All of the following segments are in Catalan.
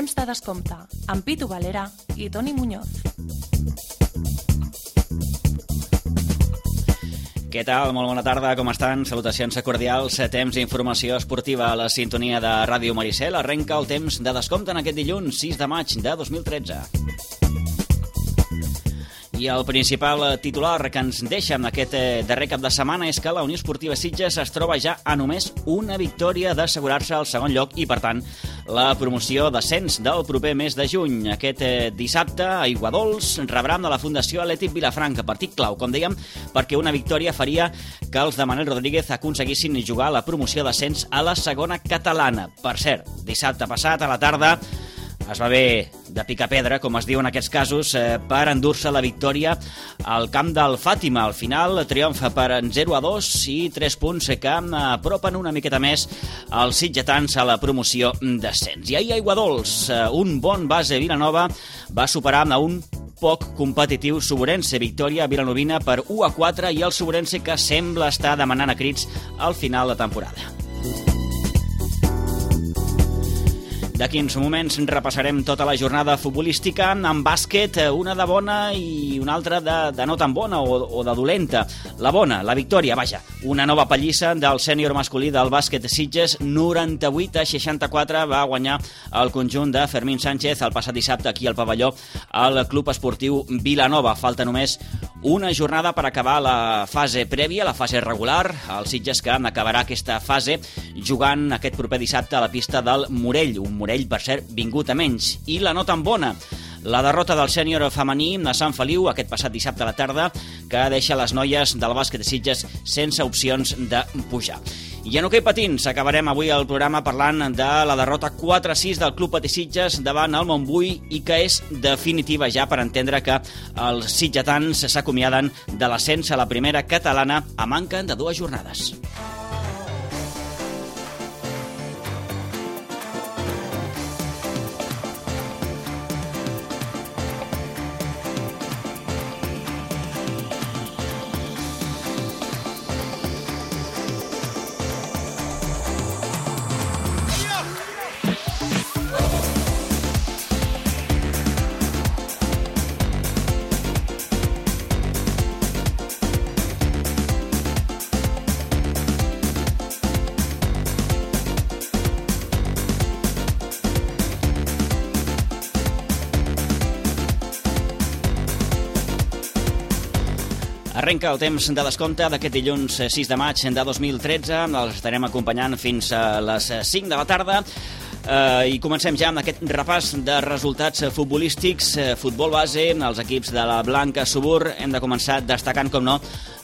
temps de descompte, amb Pitu Valera i Toni Muñoz. Què tal? Molt bona tarda, com estan? Salutacions cordials, temps d'informació esportiva a la sintonia de Ràdio Maricel. Arrenca el temps de descompte en aquest dilluns, 6 de maig de 2013. I el principal titular que ens deixa en aquest darrer cap de setmana és que la Unió Esportiva Sitges es troba ja a només una victòria d'assegurar-se al segon lloc i, per tant, la promoció d'ascens del proper mes de juny. Aquest dissabte, a Aiguadols, rebran de la Fundació Atlètic Vilafranca, partit clau, com dèiem, perquè una victòria faria que els de Manel Rodríguez aconseguissin jugar la promoció d'ascens a la segona catalana. Per cert, dissabte passat a la tarda es va bé de picar-pedra, com es diu en aquests casos, per endur-se la victòria al camp del Fàtima. Al final, triomfa per 0-2 i 3 punts que apropen una miqueta més els sitgetans a la promoció d'ascens. I ahir a Aiguadols, un bon base Vilanova va superar a un poc competitiu Suburense. Victòria vilanovina per 1-4 i el Suburense que sembla estar demanant a crits al final de temporada. D'aquí uns moments repassarem tota la jornada futbolística. En bàsquet, una de bona i una altra de no tan bona o de dolenta. La bona, la victòria, vaja, una nova pallissa del sènior masculí del bàsquet Sitges, 98-64 va guanyar el conjunt de Fermín Sánchez el passat dissabte aquí al pavelló al Club Esportiu Vilanova. Falta només una jornada per acabar la fase prèvia, la fase regular. El Sitges que acabarà aquesta fase jugant aquest proper dissabte a la pista del Morell, un Morell, per cert, vingut a menys. I la no tan bona, la derrota del sènior femení a Sant Feliu aquest passat dissabte a la tarda, que deixa les noies del bàsquet de Sitges sense opcions de pujar. I en hoquei patins acabarem avui el programa parlant de la derrota 4-6 del Club Patí Sitges davant el Montbui i que és definitiva ja per entendre que els sitgetans s'acomiaden de l'ascens a la primera catalana a manca de 2 jornades. Arrenca el temps de descompte d'aquest dilluns 6 de maig de 2013. Els estarem acompanyant fins a les 5 de la tarda. I comencem ja amb aquest repàs de resultats futbolístics. Futbol base, els equips de la Blanca Subur. Hem de començar destacant, com no,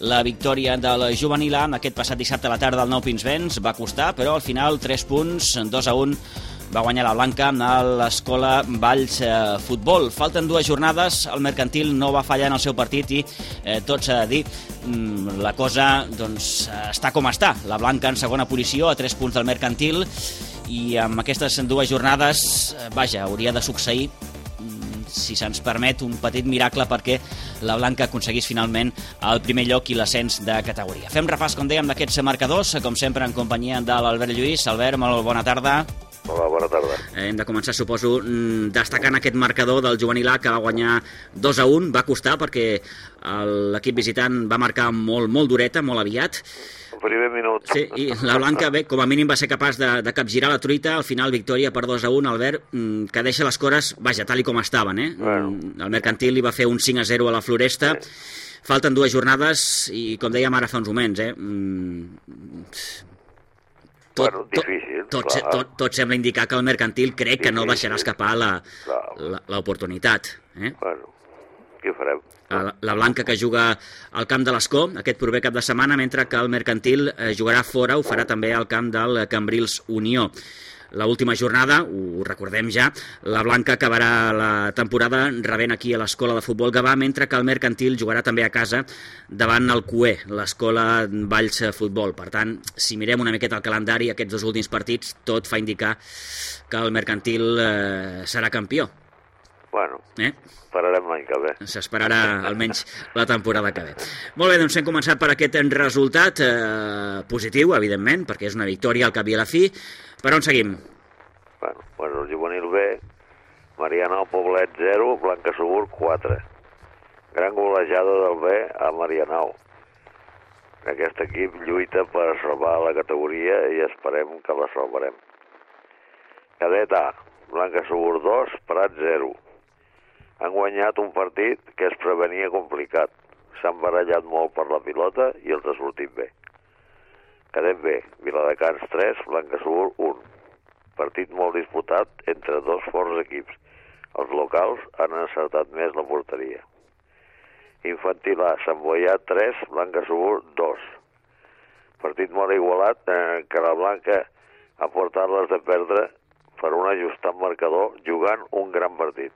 la victòria del juvenil A aquest passat dissabte a la tarda al Nou Pinsbens. Va costar, però al final 3 punts, 2-1. Va guanyar la Blanca a l'Escola Valls Futbol. Falten 2 jornades, el Mercantil no va fallar en el seu partit i tot s'ha de dir, la cosa doncs, està com està. La Blanca en segona posició a 3 punts del Mercantil i amb aquestes 2 jornades, vaja, hauria de succeir, si se'ns permet, un petit miracle perquè la Blanca aconseguís finalment el primer lloc i l'ascens de categoria. Fem repàs, com dèiem, d'aquests marcadors, com sempre en companyia de l'Albert Lluís. Albert, molt bona tarda. Hola, bona tarda. Hem de començar, suposo, destacant aquest marcador del juvenil A que va guanyar 2-1. Va costar perquè l'equip visitant va marcar molt dureta, molt aviat. El primer minut. Sí, i la Blanca, bé, com a mínim va ser capaç de capgirar la truita. Al final, victòria per 2-1, Albert, que deixa les coses, vaja, tal i com estaven, eh? Bueno. El Mercantil li va fer un 5-0 a la Floresta. Sí. Falten 2 jornades i, com dèiem ara fa uns moments, difícil. Tot sembla indicar que el Mercantil crec que no deixarà escapar l'oportunitat. Bueno, què farem? La Blanca que juga al camp de l'Escó aquest proper cap de setmana, mentre que el Mercantil jugarà fora, ho farà també al camp del Cambrils Unió. L'última jornada, ho recordem ja, la Blanca acabarà la temporada rebent aquí a l'Escola de Futbol Gavà, mentre que el Mercantil jugarà també a casa davant el CUE, l'Escola Valls Futbol. Per tant, si mirem una miqueta el calendari, aquests 2 últims partits, tot fa indicar que el Mercantil serà campió. Bueno, esperarem l'any que ve. S'esperarà almenys la temporada que ve. Molt bé, doncs hem començat per aquest resultat positiu, evidentment, perquè és una victòria al cap i a la fi. Per on seguim? Bueno, el juvenil B Marianao Poblet 0, Blancassegur 4. Gran golejada del B a Marianao. Aquest equip lluita per salvar la categoria i esperem que la salvarem. Cadet A, Blancassegur 2, Prat 0. Han guanyat un partit que es prevenia complicat. S'han barallat molt per la pilota i els ha sortit bé. Cadet B, Viladecans 3, Blancassegur 1. Partit molt disputat entre dos forts equips. Els locals han encertat més la porteria. Infantil A, Sant Boià 3, Blancassegur 2. Partit molt igualat que la Blanca ha portat les de perdre per un ajustat marcador jugant un gran partit.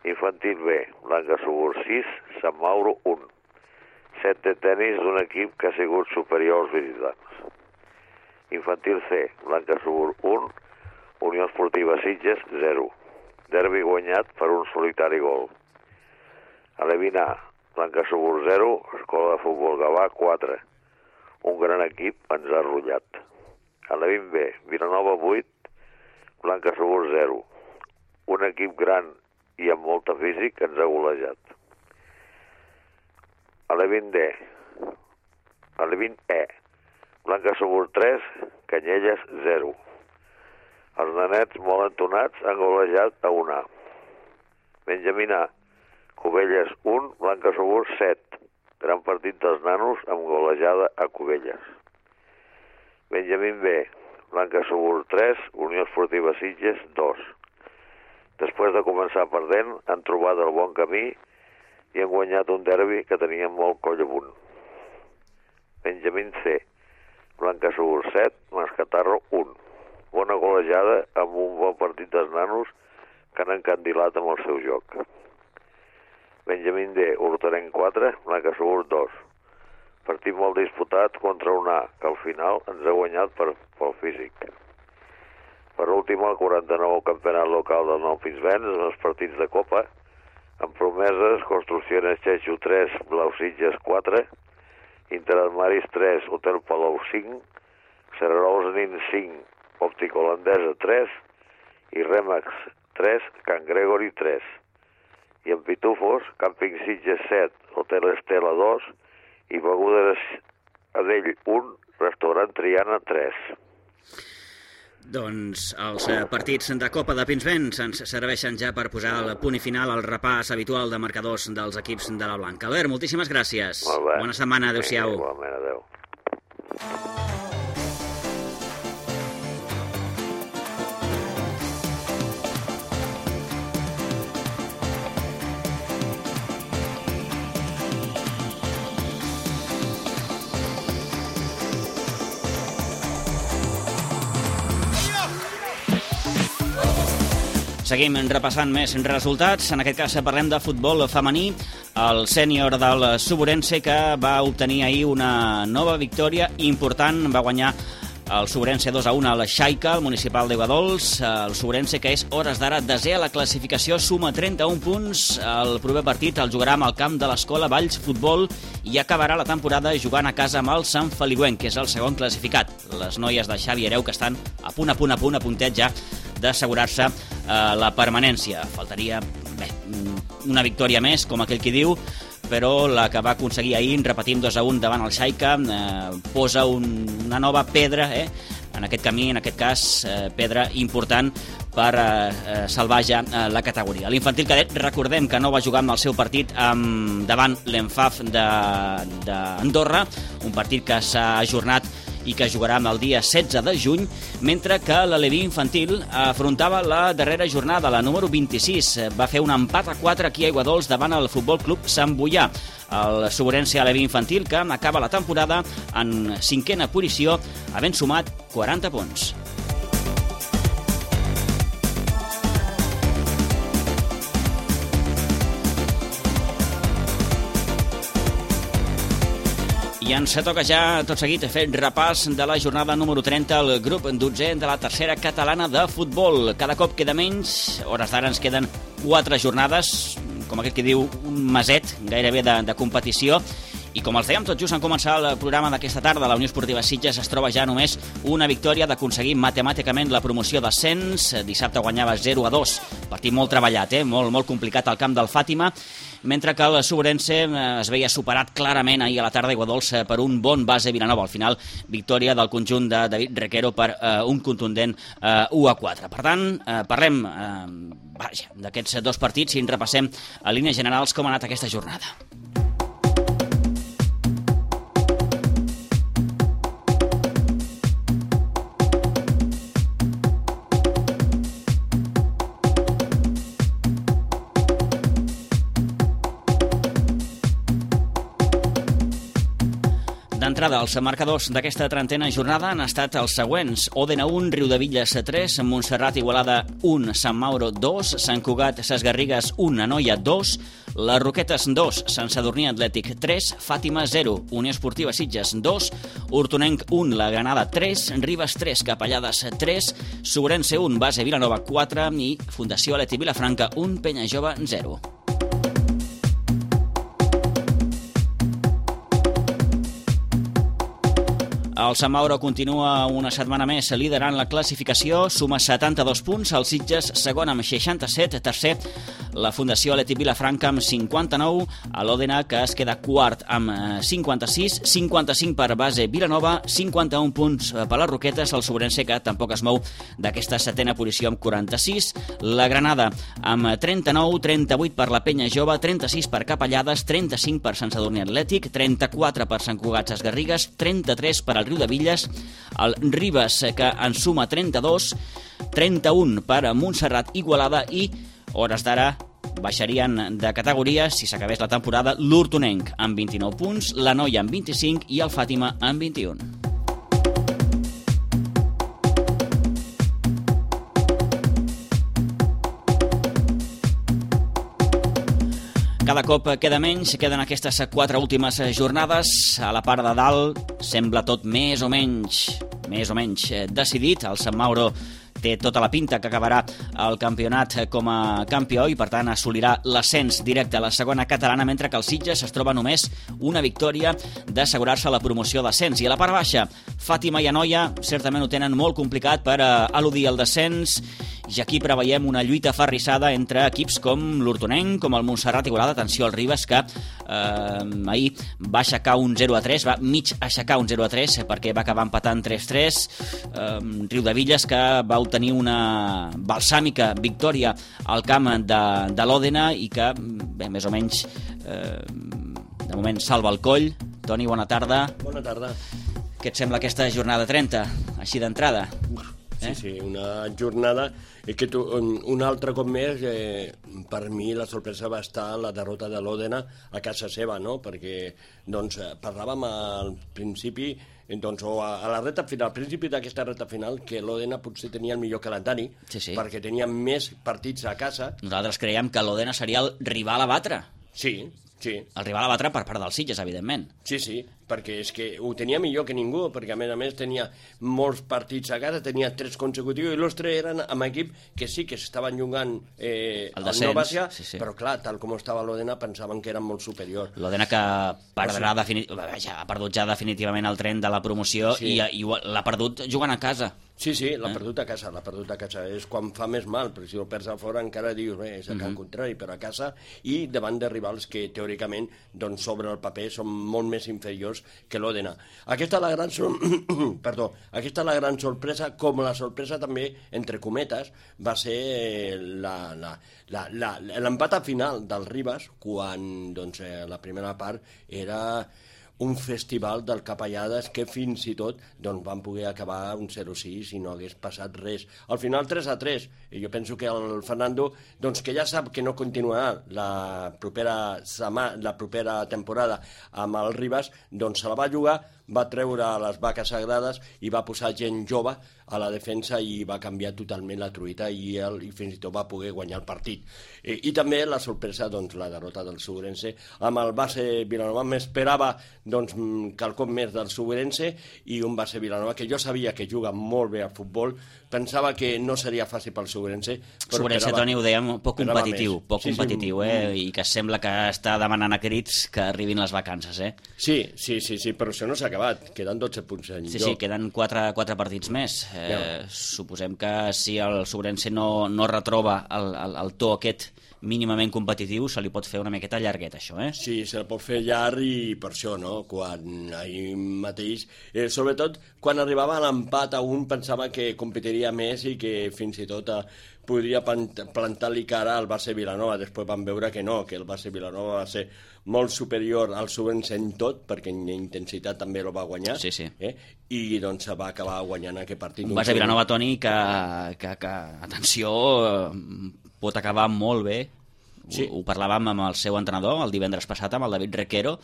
Infantil B, Blancassegur 6, Sant Mauro 1. Set de tenis d'un equip que ha sigut superior als visitants. Infantil C, Blancassegur 1, Unió Esportiva Sitges 0. Derbi guanyat per un solitari gol. Alevín A, Blancassegur 0, Escola de Futbol Gavà 4. Un gran equip ens ha rotllat. Alevín B, Vilanova 8, Blancassegur 0. Un equip gran i amb molta físic ens ha golejat. Alevín D, Alevín E, Blancassegur 3, Canyelles 0. Els nanets molt entonats han golejat a 1A. Benjamín A, Cubelles 1, Blancassegur 7. Gran partit dels nanos amb golejada a Cubelles. Benjamín B, Blancassegur 3, Unió Esportiva Sitges 2. Després de començar perdent, han trobat el bon camí i han guanyat un derbi que tenien molt coll amunt. Benjamín C, Blancassegur 7, Mascatarro 1. Bona golejada amb un bon partit dels nanos que han encandilat amb el seu joc. Benjamín D, Hortarenc 4, Blancassegur 2. Partit molt disputat contra un A, que al final ens ha guanyat pel físic. Per últim, el 49 campionat local del Nou Pinsbens, en els partits de Copa, amb promeses, Construcciones Xexo 3, Blau Sitges 4, Interarmaris 3, Hotel Palou 5, Serrarols Nin 5, Òptica Holandesa 3 i Remax 3, Can Gregory 3. I en Pitufos, Càmping Sitges 7, Hotel Estela 2 i Begudes Adell 1, Restaurant Triana 3. Doncs els partits de Copa de Pinsbens ens serveixen ja per posar el punt i final al repàs habitual de marcadors dels equips de la Blanca. Albert, moltíssimes gràcies. Bona setmana, adéu-siau. Igualment, adéu. Seguim repassant més resultats. En aquest cas parlem de futbol femení. El sènior del Suburense, que va obtenir ahir una nova victòria important, va guanyar el Suburense 2-1 al Xaica, el municipal d'Iguadols. El Suburense, que és hores d'ara desè a la classificació, suma 31 punts. El proper partit el jugarà amb el camp de l'Escola Valls Futbol i acabarà la temporada jugant a casa amb el Sant Feliuenc, que és el segon classificat. Les noies de Xavi Hereu, que estan a puntet ja d'assegurar-se la permanència. Faltaria una victòria més, com aquell qui diu, però la que va aconseguir ahir, repetim 2-1 davant el Xaica, posa una nova pedra en aquest camí, en aquest cas pedra important per salvar ja la categoria. L'infantil cadet, recordem que no va jugar amb el seu partit davant l'Enfaf d'Andorra, un partit que s'ha ajornat i que jugarà el dia 16 de juny, mentre que l'Aleví infantil afrontava la darrera jornada, la número 26. Va fer un empat a 4 aquí a Iguadols davant el Futbol Club Sant Boià. El Suburense Aleví infantil, que acaba la temporada en 5a posició, havent sumat 40 punts. I ens toca ja, tot seguit, fer repàs de la jornada número 30 al grup 12è de la tercera catalana de futbol. Cada cop queda menys, hores d'ara ens queden 4 jornades, com aquest que diu un meset gairebé de competició, I com els dèiem tot just en començar el programa d'aquesta tarda, la Unió Esportiva Sitges es troba ja només una victòria d'aconseguir matemàticament la promoció d'ascens. Dissabte guanyava 0-2, partit molt treballat, molt complicat al camp del Fàtima, mentre que el Sobrense es veia superat clarament ahir a la tarda a Iguadols per un bon base Vilanova. Al final, victòria del conjunt de David Requero per un contundent 1-4. Per tant, parlem d'aquests dos partits i en repassem a línies generals com ha anat aquesta jornada. D'entrada, els marcadors d'aquesta trentena jornada han estat els següents: Òdena 1, Riudevilles 3, Montserrat Igualada 1, Sant Mauro 2, Sant Cugat Ses Garrigues 1, Anoia 2, Les Roquetes 2, Sant Sadurní Atlètic 3, Fàtima 0, Unió Esportiva Sitges 2, Hortonenc 1, La Granada 3, Ribes 3, Capellades 3, Sobrense 1, Base Vilanova 4 i Fundació Aleti Vilafranca 1, Penya Jove 0. El Sant Mauro continua una setmana més liderant la classificació, suma 72 punts, el Sitges segon amb 67, tercer la Fundació Aleti Vilafranca amb 59, a l'Òdena que es queda quart amb 56, 55 per Base Vilanova, 51 punts per les Roquetes, el Sobrense que tampoc es mou d'aquesta setena posició amb 46, la Granada amb 39, 38 per la Penya Jove, 36 per Capellades, 35 per Sant Sadurní Atlètic, 34 per Sant Cugat Ses Garrigues, 33 per el Riudevilles, el Ribes que en suma 32, 31 per Montserrat Igualada i, hores d'ara, baixarien de categoria, si s'acabés la temporada, l'Hortonenc amb 29 punts, l'Anoia amb 25 i el Fàtima amb 21. Cada cop queda menys, queden aquestes 4 últimes jornades. A la part de dalt sembla tot més o menys decidit. El Sant Mauro té tota la pinta que acabarà el campionat com a campió i per tant assolirà l'ascens directe a la segona catalana, mentre que el Sitges es troba només una victòria d'assegurar-se la promoció d'ascens. I a la part baixa, Fàtima i Anoia certament ho tenen molt complicat per eludir el descens, i aquí preveiem una lluita aferrissada entre equips com l'Hortonenc, com el Montserrat Igualada. Atenció al Ribes, que ahir va aixecar un 0-3, va mig aixecar un 0-3 perquè va acabar empatant 3-3. Riudevilles, que va obtenir una balsàmica victòria al camp de l'Òdena i que, bé, més o menys, de moment salva el coll. Toni, bona tarda. Bona tarda. Què et sembla aquesta jornada 30, així d'entrada? Sí, una jornada que un altre cop més, per mi la sorpresa va estar la derrota de l'Òdena a casa seva, no? Perquè parlàvem al principi, o a la reta final, al principi d'aquesta reta final, que l'Òdena potser tenia el millor calendari, sí. Perquè tenia més partits a casa. Nosaltres creiem que l'Òdena seria el rival a batre. Sí. El rival a batre per part dels Sitges, evidentment. Sí, perquè és que ho tenia millor que ningú, perquè a més tenia molts partits a casa, tenia 3 consecutius, i els 3 eren amb equip que sí que s'estaven jugant al Nova-Cia, sí. Però clar, tal com estava l'Òdena, pensaven que eren molt superior. L'Òdena que ha perdut ja definitivament el tren de la promoció, sí. I l'ha perdut jugant a casa. Sí, l'ha perdut a casa, és quan fa més mal, perquè si el perds a fora encara dius, és al contrari, però a casa, i davant de rivals que teòricament, sobre el paper, són molt més inferiors que l'Òdena. Aquesta és la gran sorpresa, com la sorpresa també, entre cometes, va ser l'empat final del Ribes, quan la primera part era un festival del Capellades que fins i tot van poder acabar un 0-6 i no hagués passat res. Al final 3-3, i jo penso que el Fernando, que ja sap que no continuarà la propera temporada amb el Ribes, se la va jugar, va treure les vaques sagrades i va posar gent jove a la defensa i va canviar totalment la truita i fins i tot va poder guanyar el partit. I també la sorpresa, doncs, la derrota del Subrense amb el base Vilanova. M'esperava doncs, quelcom més del Subrense i un base Vilanova que jo sabia que juga molt bé al futbol. Pensava que no seria fàcil pel Subrense. Subrense, Toni, ho dèiem, poc competitiu, i que sembla que està demanant a crits que arribin les vacances, eh? Sí, però això no s'ha acabat, queden 12 punts en joc. Sí, queden 4 partits més. Suposem que si el Subrense no retroba el to aquest mínimament competitiu, se li pot fer una miqueta llarguet, això, eh? Sí, se li pot fer llarg i per això, no?, quan ahir mateix, sobretot quan arribava a l'empat a un, pensava que competiria més i que fins i tot podria plantar-li cara al base Vilanova. Després vam veure que no, que el base Vilanova va ser molt superior al Subrense en tot, perquè en intensitat també lo va guanyar, i doncs va acabar guanyant aquest partit. Un base Vilanova, Toni, que atenció, pot acabar molt bé. Ho parlàvem amb el seu entrenador el divendres passat, amb el David Requero,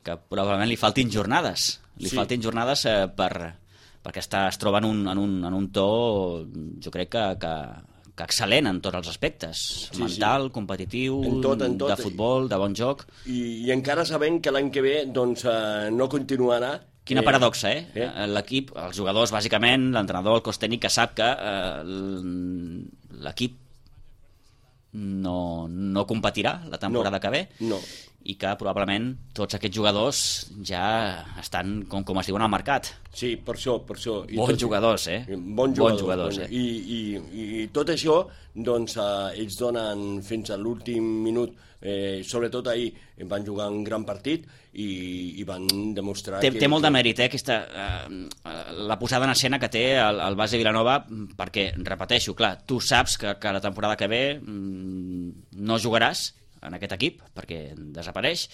que probablement li faltin jornades. Perquè es troba en un to, jo crec que excel·lent en tots els aspectes, mental, competitiu, de futbol, de bon joc. I encara sabem que l'any que ve doncs, no continuarà. Quina paradoxa, eh? L'equip, els jugadors, bàsicament, l'entrenador, el cos tècnic, que sap que l'equip no competirà la temporada que ve, i que probablement tots aquests jugadors ja estan, com es diuen, al mercat. Sí, per això. Bons jugadors, eh? Bons jugadors. I tot això, doncs, ells donen fins a l'últim minut, sobretot ahir van jugar un gran partit i van demostrar té molt de mèrit, aquesta, la posada en escena que té el base Vilanova, perquè, repeteixo, clar, tu saps que la temporada que ve no jugaràs en aquest equip, perquè desapareix,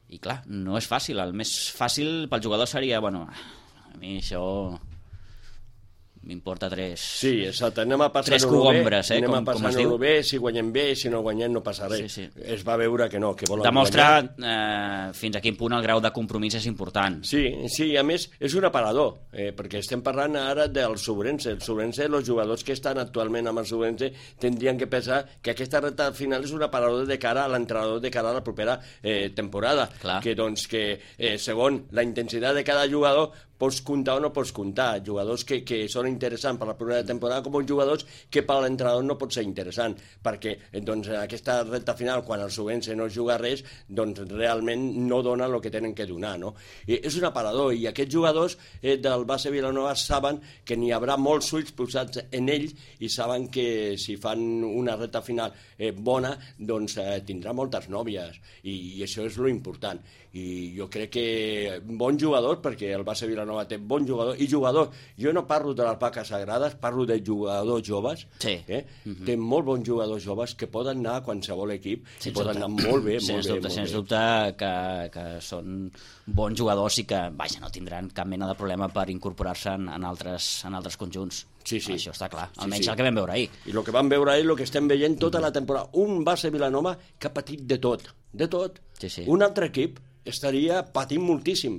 i clar, no és fàcil. El més fàcil pel jugador seria, bueno, a mi això m'importa 3... Sí, exacte, anem a passar-ho bé, si guanyem bé, si no guanyem no passa res. Es va veure que no, que volen demostra fins a quin punt el grau de compromís és important. Sí, a més, és un aparador, perquè estem parlant ara del Subrense. El Subrense, els jugadors que estan actualment amb el Subrense tindrien que pensar que aquesta recta final és un aparador de cara a l'entrenador, de cara a la propera temporada. Que doncs que segons la intensitat de cada jugador pots comptar o no pots comptar. Jugadors que són interessants per la primera temporada com jugadors que per l'entrenador no pot ser interessant, perquè doncs, en aquesta recta final, quan el Subrense no juga res, doncs realment no dona el que tenen que donar, no? És un aparador, i aquests jugadors del base Vilanova saben que n'hi haurà molts ulls posats en ells i saben que si fan una recta final bona, doncs tindrà moltes nòvies, i això és lo important. I jo crec que bon jugador, perquè el base Vilanova té bon jugador, i jugador, jo no parlo de les vaques sagrades, parlo de jugadors joves, té molt bons jugadors joves que poden anar a qualsevol equip i poden anar molt bé, sens dubte que són bons jugadors i que, vaja, no tindran cap mena de problema per incorporar-se en altres conjunts. Això està clar, almenys el que vam veure ahir. I el que vam veure ahir, el que estem veient tota la temporada, un base Vilanova que ha patit de tot. Un altre equip estaria patint moltíssim,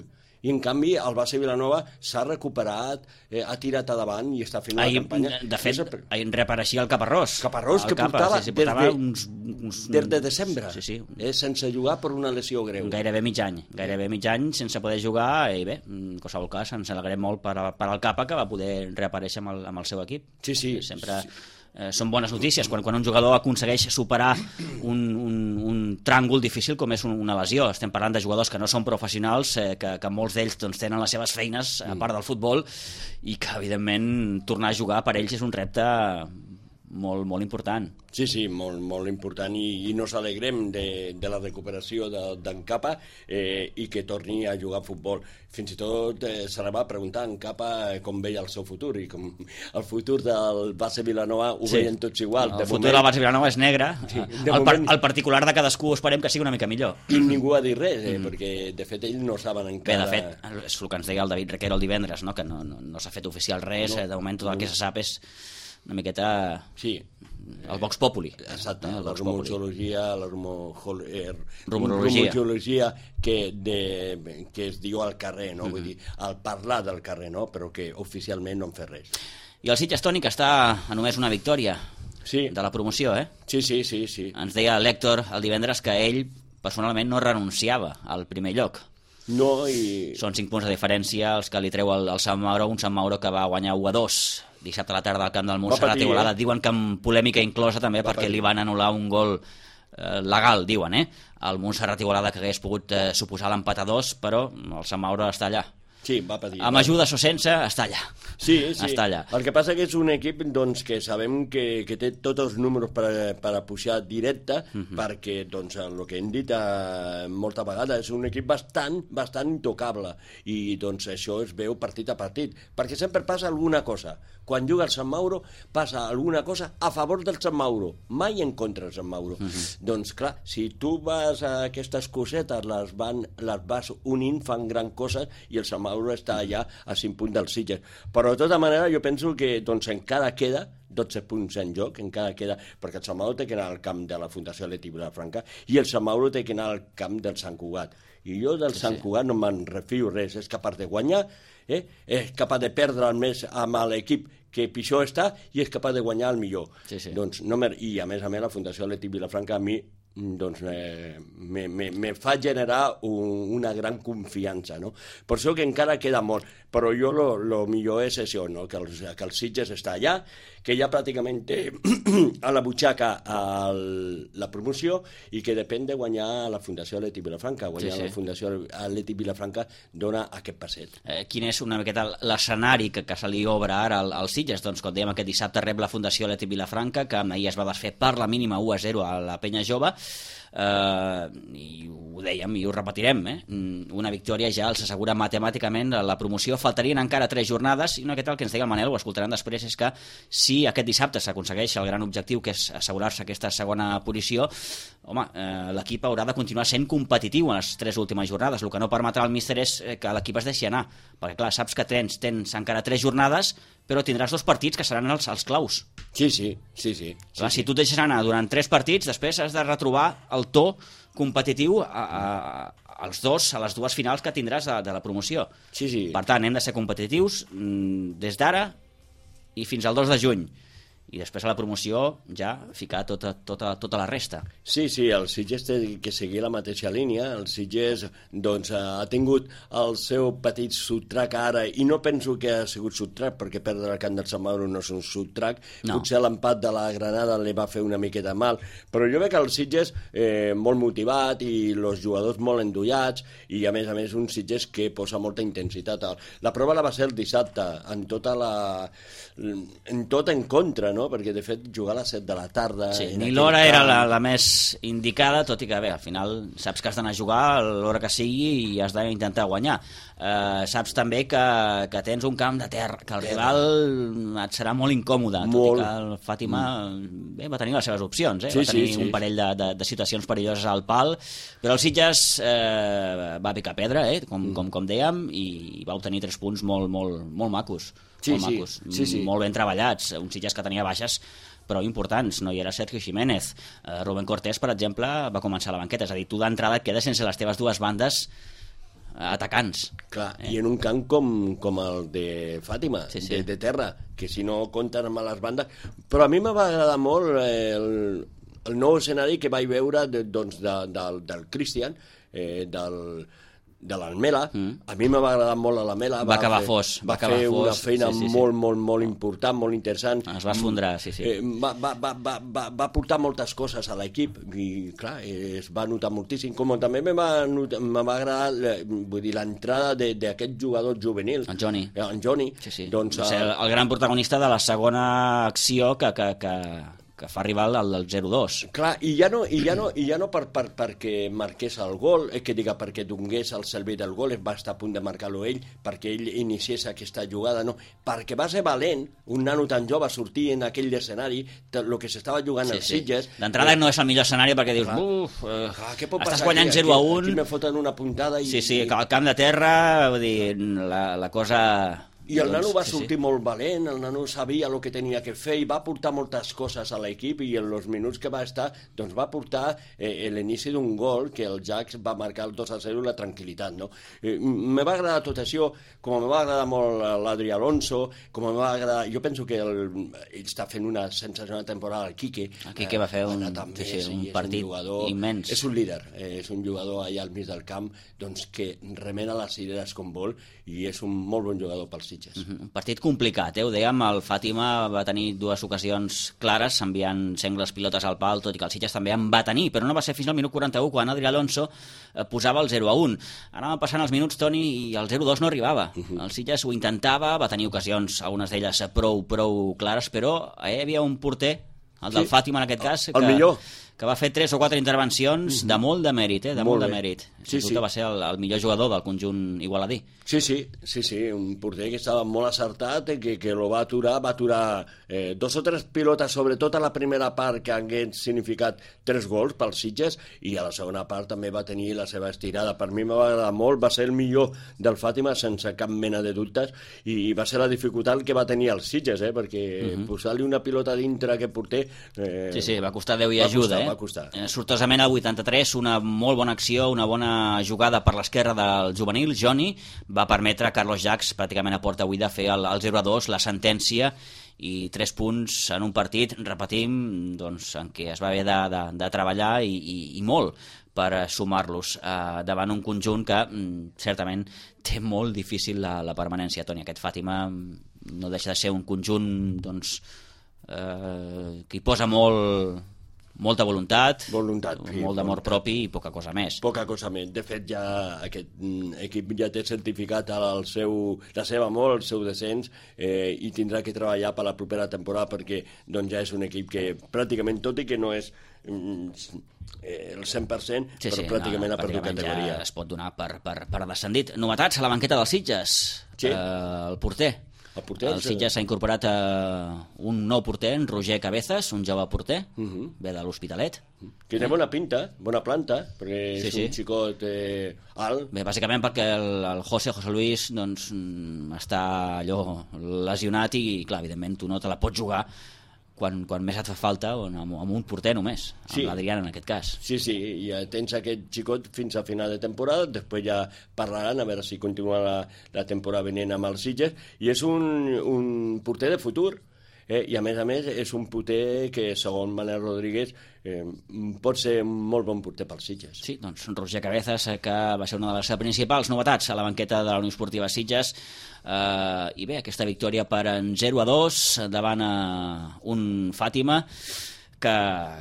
i en canvi el base Vilanova s'ha recuperat, ha tirat endavant i està fent una campanya. De fet, ahir reapareixia el Caparrós, que portava des de desembre, sense jugar per una lesió greu. Gairebé mig any sense poder jugar, i bé, en qualsevol cas ens alegrem molt per al Capa, que va poder reaparèixer amb el seu equip. Sempre són bones notícies quan un jugador aconsegueix superar un tràngol difícil com és una lesió. Estem parlant de jugadors que no són professionals, que molts d'ells tenen les seves feines a part del futbol, i que evidentment tornar a jugar per ells és un repte molt, molt important. Sí, molt important, i nos alegrem de la recuperació d'en Capa i que torni a jugar a futbol. Fins i tot se li va preguntar a en Capa com veia el seu futur, i com el futur del base Vilanova ho veien tots igual. El futur del base Vilanova és negre, el particular de cadascú esperem que sigui una mica millor. I ningú ha dit res, perquè de fet ells no saben encara... Bé, de fet, és el que ens deia el David Requero el divendres, que no s'ha fet oficial res, de moment tot el que se sap és una miqueta el Vox Populi. Exacte, El la Vox Populi. rumorologia que es diu al carrer, no? Vull dir, al parlar del carrer, no? Però que oficialment no en fer res. I el Sitges, Toni, que està a només una victòria de la promoció, Sí. Ens deia l'Hèctor el divendres que ell personalment no renunciava al primer lloc. No, i... Són 5 punts de diferència els que li treu el Sant Mauro, un Sant Mauro que va guanyar 1-2 dissabte a la tarda al camp del Montserrat Igualada. Diuen que amb polèmica inclosa també perquè li van anul·lar un gol legal, diuen, el Montserrat Igualada, que hagués pogut suposar l'empat a 2, però el Sant Mauro està allà. Sí, va patir. Amb ajuda o sense, està allà. Sí. Està allà. El que passa que és un equip doncs, que sabem que té tots els números per a pujar directe, perquè doncs, el que hem dit molta vegada és un equip bastant intocable, i doncs això es veu partit a partit, perquè sempre passa alguna cosa. Quan juga el Sant Mauro passa alguna cosa a favor del Sant Mauro, mai en contra del Sant Mauro. Doncs clar, si tu vas a aquestes cosetes, les vas unint, fan gran coses, i el Sant Mauro està allà a 5 punts del Sitges. Però de tota manera jo penso que doncs, encara queda 12 punts en joc, encara queda, perquè el Sant Mauro té que anar al camp de la Fundació Atlètic Vilafranca i el Sant Mauro té que anar al camp del Sant Cugat. I jo del Sant Cugat no me'n refio res, és capaç de guanyar, és capaç de perdre el més amb l'equip que pitjor està i és capaç de guanyar el millor. Doncs, I a més la Fundació Atlètic Vilafranca a mi doncs me fa generar una gran confiança, no? Per això que encara queda molt, però jo lo millor és això, no? Que el Sitges està allà, que ja pràcticament té a la butxaca la promoció i que depèn de guanyar la Fundació Atlètic Vilafranca. La Fundació Atlètic Vilafranca dona aquest passet. Quin és una miqueta l'escenari que se li obre ara al Sitges? Doncs, com dèiem, aquest dissabte rep la Fundació Atlètic Vilafranca, que ahir es va desfer per la mínima 1-0 a la Penya Jove, i ho dèiem i ho repetirem, una victòria ja els assegura matemàticament la promoció. Faltarien encara 3 jornades, i una miqueta el que ens deia el Manel, ho escoltaran després, és que si aquest dissabte s'aconsegueix el gran objectiu, que és assegurar-se aquesta segona posició, home, l'equip haurà de continuar sent competitiu en les 3 últimes jornades. El que no permetrà el míster és que l'equip es deixi anar, perquè clar, saps que tens encara 3 jornades, però tindràs 2 partits que seran els claus. Sí. Clar, si tu et deixes anar durant 3 partits, després has de retrobar el to competitiu a les dues finals que tindràs de la promoció. Per tant, hem de ser competitius des d'ara i fins al 2 de juny. I després a la promoció ja ficar tota la resta. Sí, el Sitges té que seguir la mateixa línia. El Sitges doncs, ha tingut el seu petit subtrac ara, i no penso que ha sigut subtrac, perquè perdre el camp del Sant Mauro no és un subtrac. Potser l'empat de la Granada li va fer una miqueta mal, però jo veig que el Sitges molt motivat i els jugadors molt endollats, i a més un Sitges que posa molta intensitat. La prova la va ser el dissabte, en tot en contra, no? Perquè de fet jugar a les 7 de la tarda... Sí, ni l'hora era la més indicada, tot i que bé, al final saps que has d'anar a jugar a l'hora que sigui i has d'intentar guanyar. Saps també que tens un camp de terra, que el rival et serà molt incòmode, tot i que el Fàtima va tenir les seves opcions, va tenir un parell de situacions perilloses al pal, però el Sitges va picar pedra, com dèiem, i va obtenir 3 punts molt macos. Molt ben treballats, un Sitges que tenia baixes però importants. No hi era Sergio Jiménez, Rubén Cortés, per exemple, va començar a la banqueta, és a dir, tu d'entrada et quedes sense les teves dues bandes atacants. Clar, i en un camp com el de Fàtima, de terra, que si no compten amb les bandes... Però a mi me va agradar molt el nou escenari que vaig veure del Cristian, de l'Almela. A mi m'ha agradat molt l'Almela. Va acabar fos. Va fer una feina molt important, molt interessant. Es va esfondrar, va portar moltes coses a l'equip i, clar, es va notar moltíssim. Com també me va agradar l'entrada d'aquest jugador juvenil. En Johnny. Doncs, el gran protagonista de la segona acció que fa arribar al 0-2. Clar, i ja no perquè marqués el gol, perquè donés el servei del gol, va estar a punt de marcar-lo ell, perquè ell iniciés aquesta jugada, no, perquè va ser valent, un nano tan jove, sortir en aquell escenari, el que s'estava jugant als Sitges... D'entrada no és el millor escenari perquè dius, estàs guanyant 0-1... Aquí me foten una puntada i... Sí, al camp de terra, vull dir, la cosa... I el nano va sortir molt valent, el nano sabia el que tenia que fer i va portar moltes coses a l'equip i en els minuts que va estar doncs va portar l'inici d'un gol que el Jax va marcar el 2-0 la tranquil·litat, no? Me va agradar tot això, com me va agradar molt l'Adri Alonso, com me va agradar... Jo penso que ell està fent una sensacional temporada, el Quique. El Quique va fer un partit immens. És un líder, és un jugador allà al mig del camp doncs, que remena les idees com vol i és un molt bon jugador pels Sitges. Un partit complicat, ho dèiem, el Fàtima va tenir dues ocasions clares, enviant sengles pilotes al pal, tot i que el Sitges també en va tenir, però no va ser fins al minut 41 quan Adri Alonso posava el 0-1. Anàvem passant els minuts, Toni, i el 0-2 no arribava. El Sitges ho intentava, va tenir ocasions, algunes d'elles prou clares, però hi havia un porter, el del Fàtima en aquest cas, que va fer 3 o 4 intervencions de molt de mèrit, de molt de mèrit. Sí. Que va ser el millor jugador del conjunt igualadí. Sí, un porter que estava molt acertat, que lo va aturar 2 o 3 pilotes, sobretot a la primera part, que hagués significat 3 gols pels Sitges, i a la segona part també va tenir la seva estirada. Per mi m'ha agradat molt, va ser el millor del Fàtima, sense cap mena de dubtes, i va ser la dificultat que va tenir els Sitges, perquè posar-li una pilota dintre a aquest porter... Sí, va costar Déu i ajuda, va costar. Sortosament al 83, una molt bona acció, una bona jugada per l'esquerra del juvenil, Johnny, va permetre a Carlos Jax, pràcticament a porta buida, fer el 0-2, la sentència, i 3 punts en un partit, repetim, doncs, en què es va haver de treballar i molt per sumar-los davant un conjunt que certament té molt difícil la permanència. Toni, aquest Fàtima no deixa de ser un conjunt doncs, que hi posa molta voluntat, molt d'amor propi i poca cosa més. Poca cosa més. De fet, ja aquest equip ja té certificat la seva amor, el seu descens, i tindrà que treballar per la propera temporada perquè doncs, ja és un equip que pràcticament, tot i que no és el 100%, però pràcticament ha perdut categoria. Ja es pot donar per descendit. Novetats a la banqueta dels Sitges. El porter. El Sitges s'ha incorporat un nou porter, en Roger Cabezas, un jove porter, ve de l'Hospitalet. Que té bona pinta, bona planta, perquè és un xicot alt. Bé, bàsicament perquè el José Luis doncs, està allò lesionat i, clar, evidentment, tu no te la pots jugar quan més et fa falta, amb un porter només, amb l'Adrián en aquest cas. Sí, ja tens aquest xicot fins a final de temporada, després ja parlaran a veure si continua la temporada venint amb els Sitges, i és un porter de futur, i a més és un porter que, segons Manel Rodríguez, pot ser un molt bon porter pels Sitges. Sí, doncs Roger Cabezas, que va ser una de les principals novetats a la banqueta de la Unió Esportiva Sitges, i bé, aquesta victòria per en 0-2 davant un Fàtima que,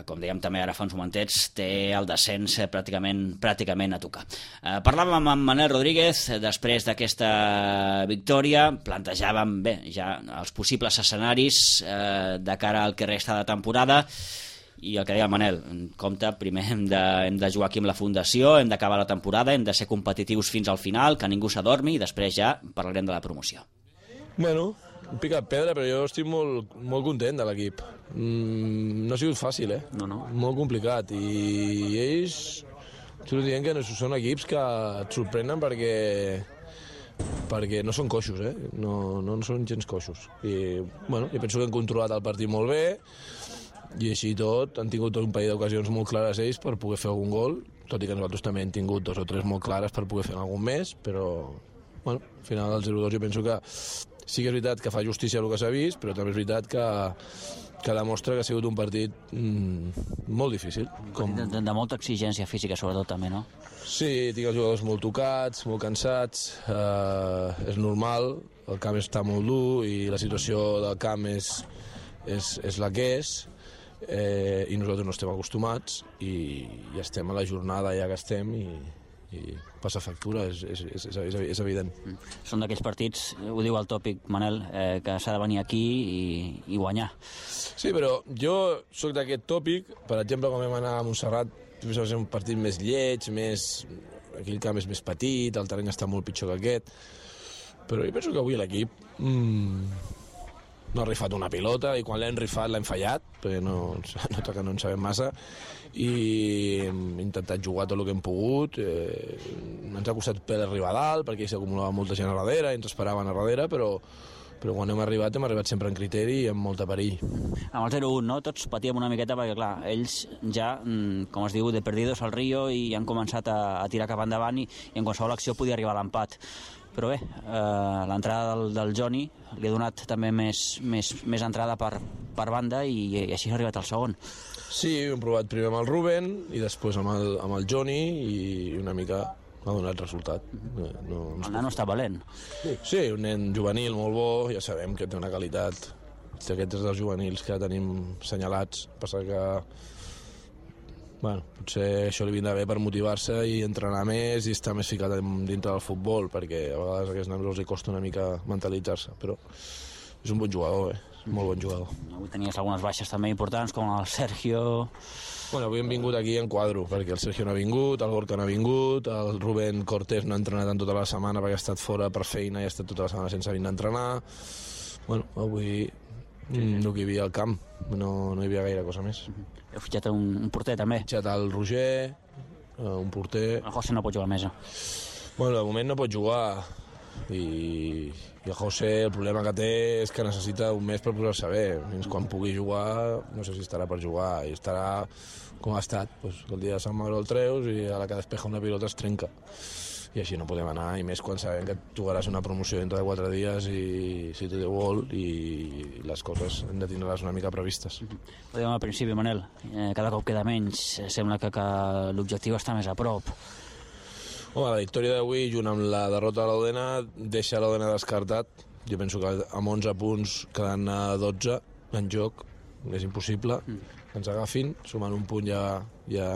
com dèiem també ara fa uns momentets, té el descens pràcticament a tocar. Parlàvem amb Manel Rodríguez després d'aquesta victòria, plantejàvem bé ja els possibles escenaris de cara al que resta de temporada, i el que deia el Manel, compte, primer hem de jugar aquí amb la fundació, hem d'acabar la temporada, hem de ser competitius fins al final, que ningú s'adormi, i després ja parlarem de la promoció. Bueno, un picat pedra, però jo estic molt content de l'equip. No ha sigut fàcil, No. Molt complicat, i ells t'ho dient que són equips que et sorprenen perquè no són coixos, no són gens coixos. I bueno, jo penso que han controlat el partit molt bé, i així tot han tingut un parell d'ocasions molt clares ells per poder fer algun gol, tot i que nosaltres també hem tingut 2 o 3 molt clares per poder fer algun més, però bueno, al final del 0-2 jo penso que sí que és veritat que fa justícia el que s'ha vist, però també és veritat que demostra que ha sigut un partit molt difícil. De molta exigència física, sobretot, també, no? Sí, tinc els jugadors molt tocats, molt cansats, és normal, el camp està molt dur i la situació del camp és la que és, i nosaltres no estem acostumats i estem a la jornada ja que estem i passa factura, és evident. Són d'aquells partits, ho diu el tòpic, Manel, que s'ha de venir aquí i guanyar. Sí, però jo sóc d'aquest tòpic, per exemple, quan vam anar a Montserrat, va ser un partit més lleig, aquí el camp és més petit, el terreny està molt pitjor que aquest, però jo penso que avui l'equip no ha rifat una pilota, i quan l'hem rifat l'hem fallat, perquè no en sabem massa, i hem intentat jugar tot el que hem pogut, ens ha costat per arribar a dalt, perquè s'acumulava molta gent a darrere, i ens esperaven a darrere, però quan hem arribat sempre en criteri i amb molta perill. Amb el 0-1, no? Tots patíem una miqueta perquè, clar, ells ja, com es diu, de perdidos al río i han començat a tirar cap endavant i en qualsevol acció podia arribar a l'empat. Però bé, l'entrada del Johnny li ha donat també més entrada per banda i així ha arribat al segon. Sí, hem provat primer amb el Rubén i després amb el Johnny i una mica ha donat resultat. El nano està valent. Sí, un nen juvenil molt bo, ja sabem que té una qualitat. Aquests dels juvenils que tenim senyalats. Passa que potser això li vindrà bé per motivar-se i entrenar més i estar més ficat dintre del futbol, perquè a vegades a aquests nanos els costa una mica mentalitzar-se, però és un bon jugador, molt bon jugador. Avui tenies algunes baixes també importants, com el Sergio. Avui hem vingut aquí en quadro, perquè el Sergio no ha vingut, el Gorka no ha vingut, el Rubén Cortés no ha entrenat en tota la setmana perquè ha estat fora per feina i ha estat tota la setmana sense venir a entrenar. Avui no hi havia al camp, no hi havia gaire cosa més. Heu fitxat un porter també? He fitxat el Roger, un porter. El José no pot jugar a mesa. De moment no pot jugar i el José el problema que té és que necessita un mes per posar-se bé. Fins quan pugui jugar no sé si estarà per jugar i estarà com ha estat, que el dia de Sant Mauro el treus i a la que despeja una pilota es trenca i així no podem anar, i més quan sabem que jugaràs una promoció dintre de 4 dies i si tot vol i les coses hem de tindre-les una mica previstes. Ho dèiem al principi, Manel, cada cop queda menys, sembla que l'objectiu està més a prop. La victòria d'avui, junt amb la derrota de l'Odena, deixa l'Odena descartat. Jo penso que amb 11 punts, quedant a 12 en joc, és impossible que ens agafin. Sumant un punt ja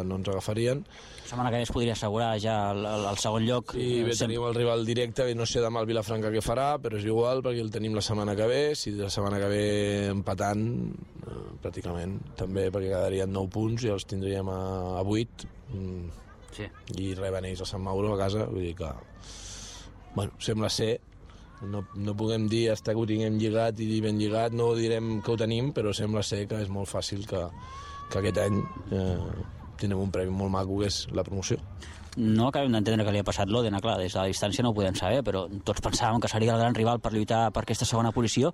no ens agafarien. La setmana que ve es podria assegurar ja el segon lloc. I bé, tenim el rival directe, no sé demà el Vilafranca què farà, però és igual, perquè el tenim la setmana que ve. Si la setmana que ve empatant, pràcticament, també, perquè quedarien 9 punts i els tindríem a 8. Sí. I reben ells a Sant Mauro a casa, vull dir que sembla ser, no puguem dir hasta que ho tinguem lligat i ben lligat, no direm que ho tenim, però sembla ser que és molt fàcil que aquest any tindrem un premi molt maco, que és la promoció. No acabem d'entendre què li ha passat l'Òdena, clar, des de la distància no ho podem saber, però tots pensàvem que seria el gran rival per lluitar per aquesta segona posició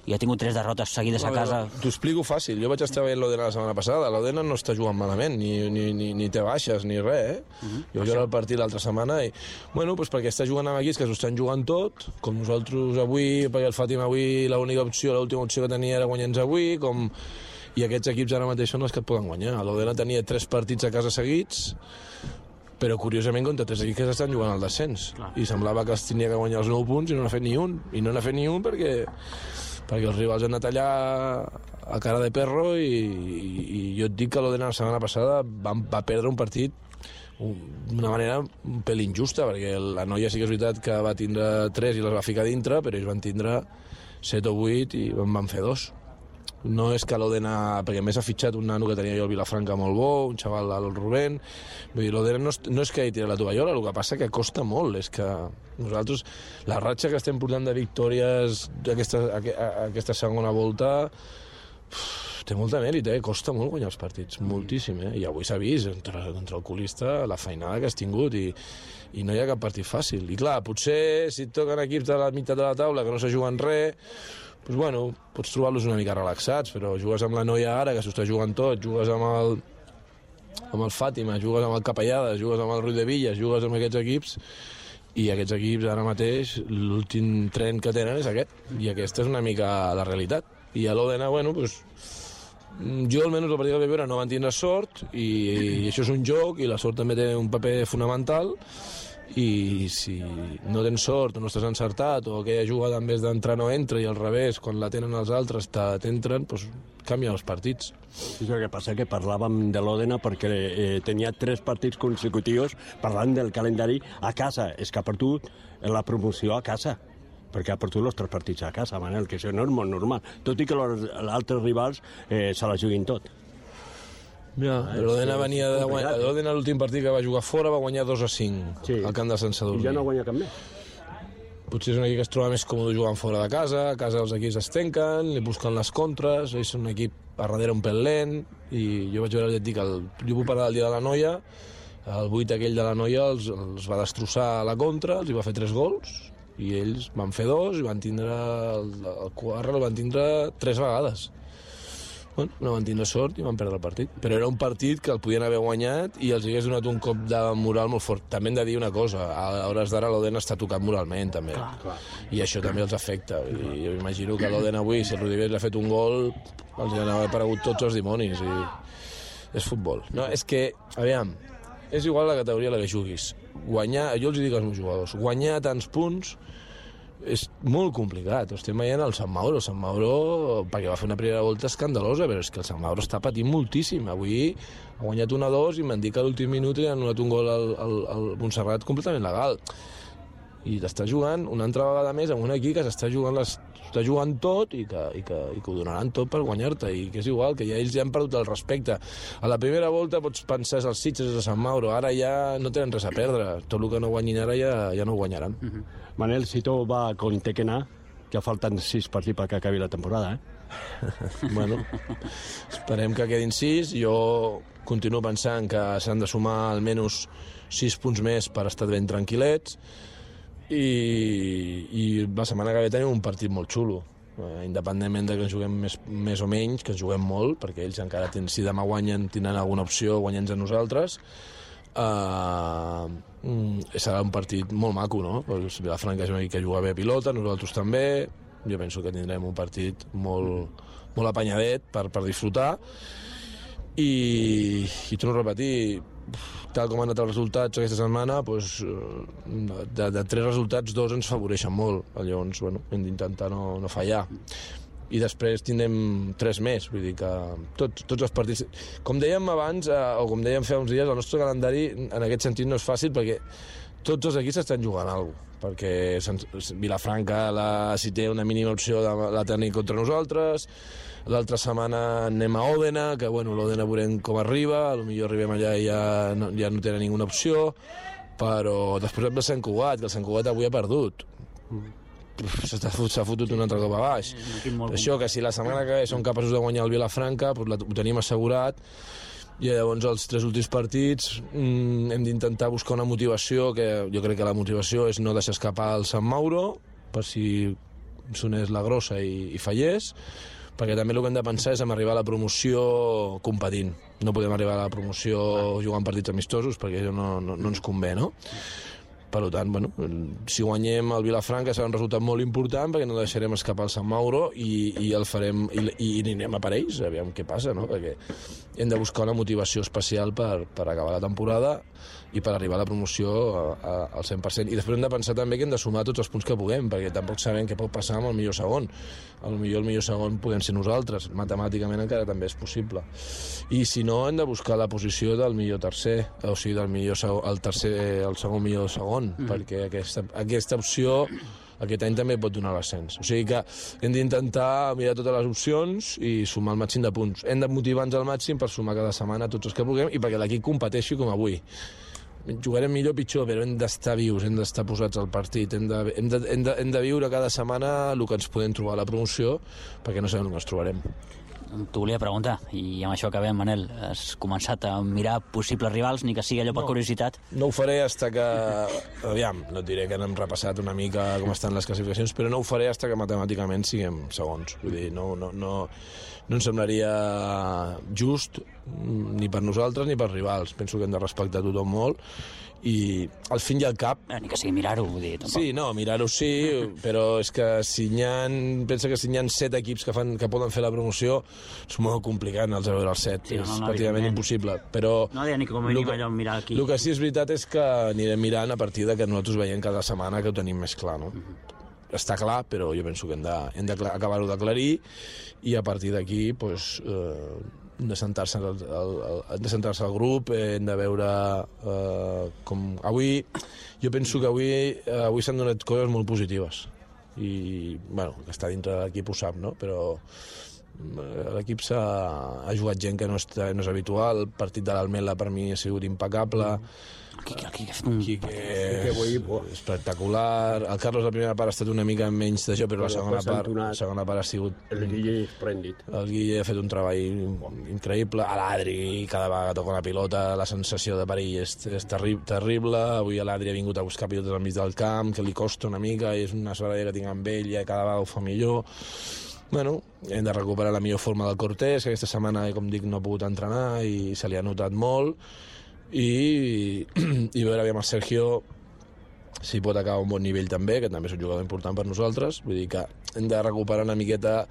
i ha tingut 3 derrotes seguides a casa. T'ho explico fàcil, jo vaig estar veient l'Òdena la setmana passada, l'Òdena no està jugant malament, ni té baixes, ni res, Jo vaig veure el partit l'altra setmana i, perquè està jugant amb equips que s'ho estan jugant tot, com nosaltres avui, perquè el Fàtima avui l'última opció que tenia era guanyar-nos avui, i aquests equips ara mateix són els que et poden guanyar. L'Òdena tenia 3 partits a casa seguits, però curiosament contra 3 equips que estan jugant al descens. Clar. I semblava que es tenia que guanyar els 9 punts i no n'ha fet ni un. I no n'ha fet ni un perquè els rivals han anat allà a cara de perro i jo et dic que l'Òdena la setmana passada va perdre un partit d'una manera un pel injusta, perquè la noia sí que és veritat que va tindre 3 i les va ficar dintre, però ells van tindre 7 o 8 i van fer 2. No és que l'Òdena, perquè més ha fitxat un nano que tenia jo al Vilafranca molt bo, un xaval al Rubén, vull dir, l'Òdena no és que hi tira la tovallola, el que passa que costa molt, és que nosaltres, la ratxa que estem portant de victòries aquesta segona volta, té molta mèrit, costa molt guanyar els partits, moltíssim, i avui s'ha vist, contra el colista, la feinada que has tingut, i no hi ha cap partit fàcil. I clar, potser si et toquen equips de la meitat de la taula que no se juguen res, pots trobar-los una mica relaxats, però jugues amb la noia ara, que s'ho està jugant tot, jugues amb el Fàtima, jugues amb el Capellades, jugues amb el Ruiz de Villas, jugues amb aquests equips, i aquests equips ara mateix, l'últim tren que tenen és aquest, i aquesta és una mica la realitat. I a l'Òdena, jo almenys el partit que vaig veure no van tindre sort, i això és un joc, i la sort també té un paper fonamental, i si no tens sort o no estàs encertat o aquella jugada en vez d'entrar no entra i al revés, quan la tenen els altres t'entren, canvien els partits. És el que passa que parlàvem de l'Òdena perquè tenia 3 partits consecutius parlant del calendari a casa. És que ha perdut la promoció a casa, perquè ha perdut els 3 partits a casa, Manel, que això no és molt normal, tot i que els altres rivals se la juguin tot. L'Òdena venia de guanyar. L'Òdena l'últim partit que va jugar fora va guanyar 2-5 al camp de Sant Sadurní. I ja no guanya cap més. Potser és un equip que es troba més còmode jugant fora de casa, a casa els equips es tanquen, li busquen les contres, és un equip a darrere un pèl lent, i jo vaig veure, jo puc parlar del dia de la noia, El 8 aquell de la Noia els va destrossar a la contra, els hi va fer 3 gols, i ells van fer 2 i van tindre el quart el van tindre 3 vegades. Bueno, no van tindre sort i van perdre el partit. Però era un partit que el podien haver guanyat i els hagués donat un cop de moral molt fort. També hem de dir una cosa, a hores d'ara l'Oden està tocat moralment, també. Clar. I això també els afecta. I jo imagino que l'Oden avui, si el Rudiger li ha fet un gol, els hi han aparegut tots els dimonis. I és futbol. No, és que, aviam, és igual la categoria a la que juguis. Guanyar, jo els dic als meus jugadors, guanyar tants punts és molt complicat. Estem veient el Sant Mauro. El Sant Mauro, perquè va fer una primera volta escandalosa, però és que el Sant Mauro està patint moltíssim. Avui ha guanyat 1-2 i m'han dit que a l'últim minut li han anul·lat un gol al Montserrat completament legal. I t'està jugant una altra vegada més amb un equip que s'està jugant tot i que ho donaran tot per guanyar-te, i que és igual, que ja ells ja han perdut el respecte. A la primera volta pots pensar els Sitges de Sant Mauro, ara ja no tenen res a perdre, tot el que no guanyin ara ja no ho guanyaran. Manel, si tot va con Tequena, que falten 6 partits perquè acabi la temporada, Bueno, esperem que quedin 6. Jo continuo pensant que s'han de sumar almenys 6 punts més per estar ben tranquil·lets, i la setmana que ve tenim un partit molt xulo, independentment de que ens juguem més o menys, que ens juguem molt, perquè ells encara si demà guanyen tindran alguna opció, guanyant a nosaltres. Serà un partit molt maco, no? Vilafranca és un equip que juga bé a pilota, nosaltres també. Jo penso que tindrem un partit molt apanyadet per disfrutar, i torno a repetir, tal com han anat els resultats aquesta setmana, de 3 resultats 2 ens favoreixen molt. Llavors, hem d'intentar no fallar. I després tindrem 3 més, vull dir que tots els partits... Com dèiem abans, o com dèiem fa uns dies, el nostre calendari en aquest sentit no és fàcil, perquè tots els equips estan jugant alguna cosa, perquè Vilafranca, si té una mínima opció, la tenim contra nosaltres. L'altra setmana anem a Òdena, que l'Òdena veurem com arriba, potser arribem allà i ja no tenen ninguna opció, però després hem de Sant Cugat, que el Sant Cugat avui ha perdut. S'ha fotut un altre cop a baix. Això, que si la setmana que ve som capaços de guanyar el Vilafranca, ho tenim assegurat, i llavors els 3 últims partits hem d'intentar buscar una motivació, que jo crec que la motivació és no deixar escapar el Sant Mauro, per si sonés la grossa i fallés, perquè també el que hem de pensar és en arribar a la promoció competint. No podem arribar a la promoció jugant partits amistosos, perquè això no ens convé, no? Per tant, si guanyem el Vilafranca serà un resultat molt important, perquè no deixarem escapar el Sant Mauro i el farem, i anirem a per ells, aviam què passa, no? Perquè hem de buscar una motivació especial per acabar la temporada i per arribar a la promoció al 100%. I després hem de pensar també que hem de sumar tots els punts que puguem, perquè tampoc sabem què pot passar amb el millor segon. El millor segon podem ser nosaltres, matemàticament encara també és possible. I si no, hem de buscar la posició del millor tercer, o sigui, del millor el segon millor segon, perquè aquesta opció aquest any també pot donar l'ascens. O sigui que hem d'intentar mirar totes les opcions i sumar el màxim de punts. Hem de motivar-nos al màxim per sumar cada setmana tots els que puguem i perquè l'equip competeixi com avui. Jugarem millor o pitjor, però hem d'estar vius, hem d'estar posats al partit, hem de viure cada setmana el que ens podem trobar a la promoció, perquè no sabem on ens trobarem. T'ho volia preguntar, i amb això acabem, Manel. Has començat a mirar possibles rivals, ni que sigui allò per curiositat? No ho faré fins que... Aviam, no et diré que n'hem repassat una mica com estan les classificacions, però no ho faré fins que matemàticament siguem segons. Vull dir, no ens semblaria just ni per nosaltres ni per rivals. Penso que hem de respectar tothom molt, i al fin i al cap... Ni que sigui mirar-ho, vull dir, tampoc. Sí, no, mirar-ho sí, però és que pensa que si hi ha 7 equips que poden fer la promoció, és molt complicat anar-los a veure els 7, sí, és pràcticament impossible. Però no deia ni com a mínim allò mirar aquí. El que sí és veritat és que anirem mirant a partir de que nosaltres veiem cada setmana que ho tenim més clar, no? Està clar, però jo penso que hem d'acabar-ho d'aclarir, i a partir d'aquí, hem de sentar-se al grup, hem de veure com... Avui, jo penso que avui s'han donat coses molt positives, i, que està dintre de l'equip ho sap, no? Però L'equip ha jugat gent que no és habitual. El partit de l'Almela per mi ha sigut impecable. Quique espectacular. El Carlos la primera part ha estat una mica menys de joc, però la segona part ha sigut... El Guille esplèndid. El Guille ha fet un treball increïble. A l'Adri, cada vegada que toca una pilota, la sensació de perill és terrible. Avui l'Adri ha vingut a buscar pilotes al mig del camp, que li costa una mica, i és una soleria que tinc amb ell, i cada vegada ho fa millor. Bueno, hem de recuperar la millor forma del Cortés, que aquesta setmana, com dic, no ha pogut entrenar i se li ha notat molt. I veure amb el Sergio si pot acabar a un bon nivell també, que també és un jugador important per nosaltres. Vull dir que hem de recuperar una miqueta,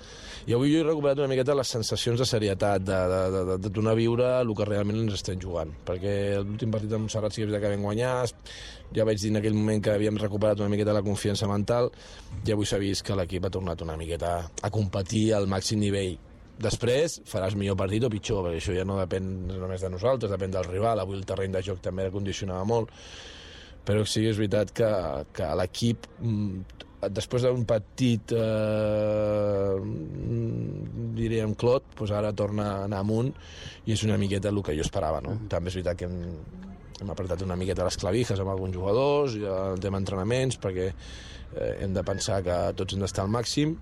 i avui jo he recuperat una miqueta les sensacions de serietat, de tornar a viure el que realment ens estem jugant, perquè l'últim partit de Montserrat sí que vam guanyar, ja vaig dir en aquell moment que havíem recuperat una miqueta la confiança mental, i avui s'ha vist que l'equip ha tornat una miqueta a competir al màxim nivell. Després faràs millor partit o pitjor, perquè això ja no depèn només de nosaltres, depèn del rival. Avui el terreny de joc també condicionava molt, però sí que és veritat que l'equip, després d'un partit, diríem, clot, doncs ara torna a anar amunt, i és una miqueta el que jo esperava, no? També és veritat que hem apretat una miqueta les clavijas amb alguns jugadors, el tema entrenaments, perquè hem de pensar que tots hem d'estar al màxim,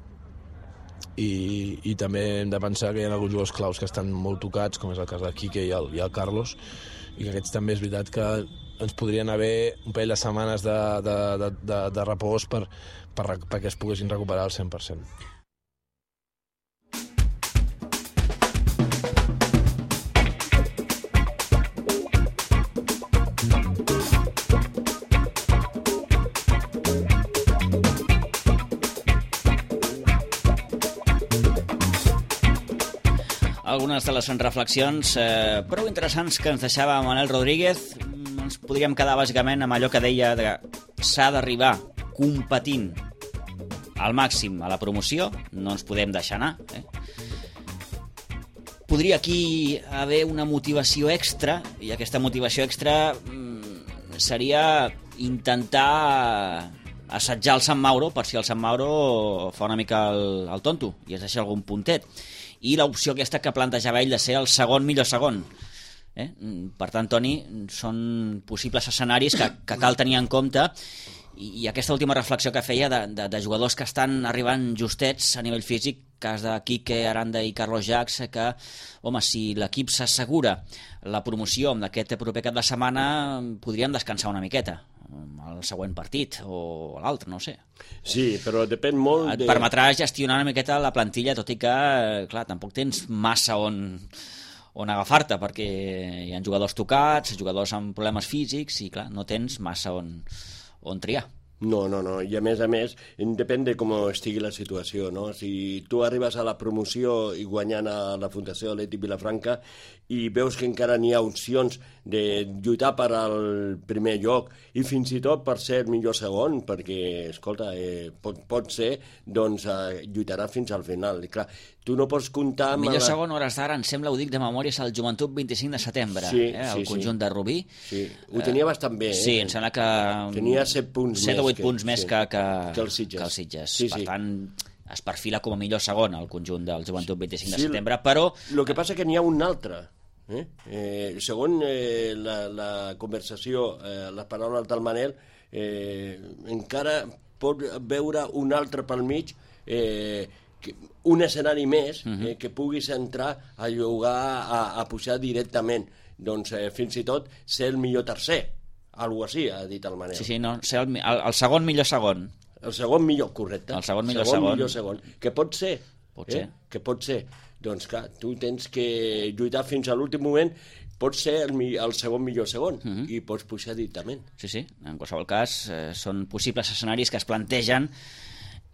i també hem de pensar que hi ha alguns jugadors claus que estan molt tocats, com és el cas del Quique i el Carlos, i que aquests també és veritat que ens podrien haver un parell de setmanes de repòs perquè es poguessin recuperar al 100%. Algunes de les reflexions prou interessants que ens deixava Manel Rodríguez. Ens podríem quedar bàsicament amb allò que deia que s'ha d'arribar competint al màxim a la promoció, no ens podem deixar anar. Podria aquí haver una motivació extra, i aquesta motivació extra seria intentar assetjar el Sant Mauro per si el Sant Mauro fa una mica el tonto i es deixa algun puntet. I l'opció aquesta que plantejava ell de ser el segon millor segon. Per tant, Toni, són possibles escenaris que cal tenir en compte, i aquesta última reflexió que feia de jugadors que estan arribant justets a nivell físic, cas de Quique, Aranda i Carlos Jacs, que, home, si l'equip s'assegura la promoció amb aquest proper cap de setmana, podríem descansar una miqueta al següent partit o a l'altre, no sé. Sí, però depèn molt Et permetrà gestionar una miqueta la plantilla, tot i que, clar, tampoc tens massa on agafar-te, perquè hi ha jugadors tocats, jugadors amb problemes físics, i clar, no tens massa on triar. No, i a més, depèn de com estigui la situació, no? Si tu arribes a la promoció i guanyant a la Fundació Atlètic Vilafranca i veus que encara n'hi ha opcions de lluitar per al primer lloc i fins i tot per ser el millor segon, perquè, escolta, pot ser, doncs lluitarà fins al final. I clar, tu no pots comptar amb... Millor segon, hores d'ara, em sembla, ho dic de memòria, és el Joventut 25 de setembre, el conjunt de Rubí. Sí, ho tenia bastant bé. Sí, em sembla que... Tenia 7 punts 7 o 8 punts més que el Sitges. Per tant, es perfila com a millor segon el conjunt del Joventut 25 de setembre, però... El que passa que n'hi ha un altre. Segons la conversació, les paraules del Manel, encara pot veure un altre pel mig, un escenari més que puguis entrar a jugar, a pujar directament, doncs fins i tot ser el millor tercer, algo així ha dit el Manel. Sí, no, ser el segon millor segon. El segon millor, correcte. El segon millor segon. Que pot ser. Que pot ser. Doncs clar, tu tens que lluitar fins a l'últim moment, pots ser el segon millor segon i pots pujar directament. Sí, en qualsevol cas són possibles escenaris que es plantegen,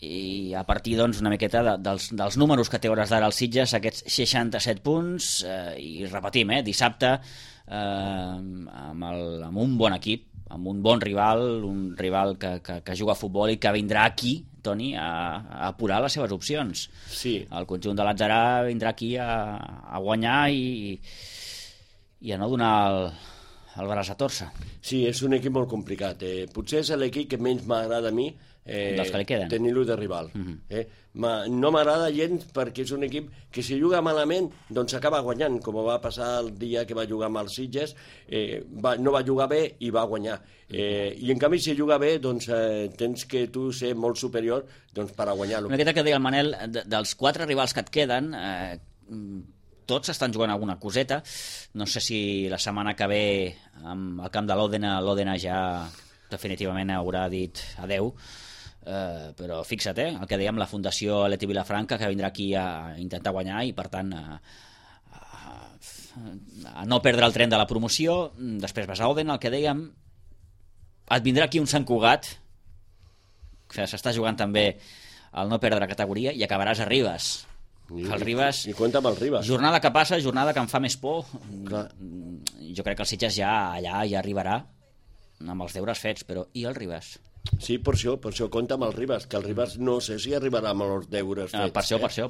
i a partir doncs una miqueta dels números que té hores d'ara el Sitges, aquests 67 punts, i repetim, dissabte amb un bon equip, amb un bon rival, un rival que juga a futbol i que vindrà aquí, Toni, a apurar les seves opcions. Sí. El conjunt de l'Atzarà vindrà aquí a guanyar i a no donar el Barça Torsa. Sí, és un equip molt complicat. Potser és l'equip que menys m'agrada a mi dels que li queden. tenir-lo de rival. No m'agrada gens perquè és un equip que si juga malament doncs acaba guanyant, com va passar el dia que va jugar amb els Sitges, no va jugar bé i va guanyar. I en canvi si juga bé doncs tens que tu ser molt superior doncs, per a guanyar-lo. Una miqueta que deia el Manel, dels 4 rivals que et queden, tots estan jugant alguna coseta. No sé si la setmana que ve amb el camp de l'Òdena ja definitivament haurà dit adeu, però fixa't, el que dèiem, la Fundació Leti Vilafranca, que vindrà aquí a intentar guanyar i per tant a no perdre el tren de la promoció. Després vas a Òdena, el que dèiem, et vindrà aquí un Sant Cugat, que s'està jugant també el no perdre categoria, i acabaràs a Ribes. El Ribes, I compta amb el Ribes. jornada que passa, jornada que em fa més por. Jo crec que el Sitges ja allà ja arribarà amb els deures fets, però i el Ribes? Sí, per això compta amb el Ribes, que el Ribes no sé si arribarà amb els deures fets. Per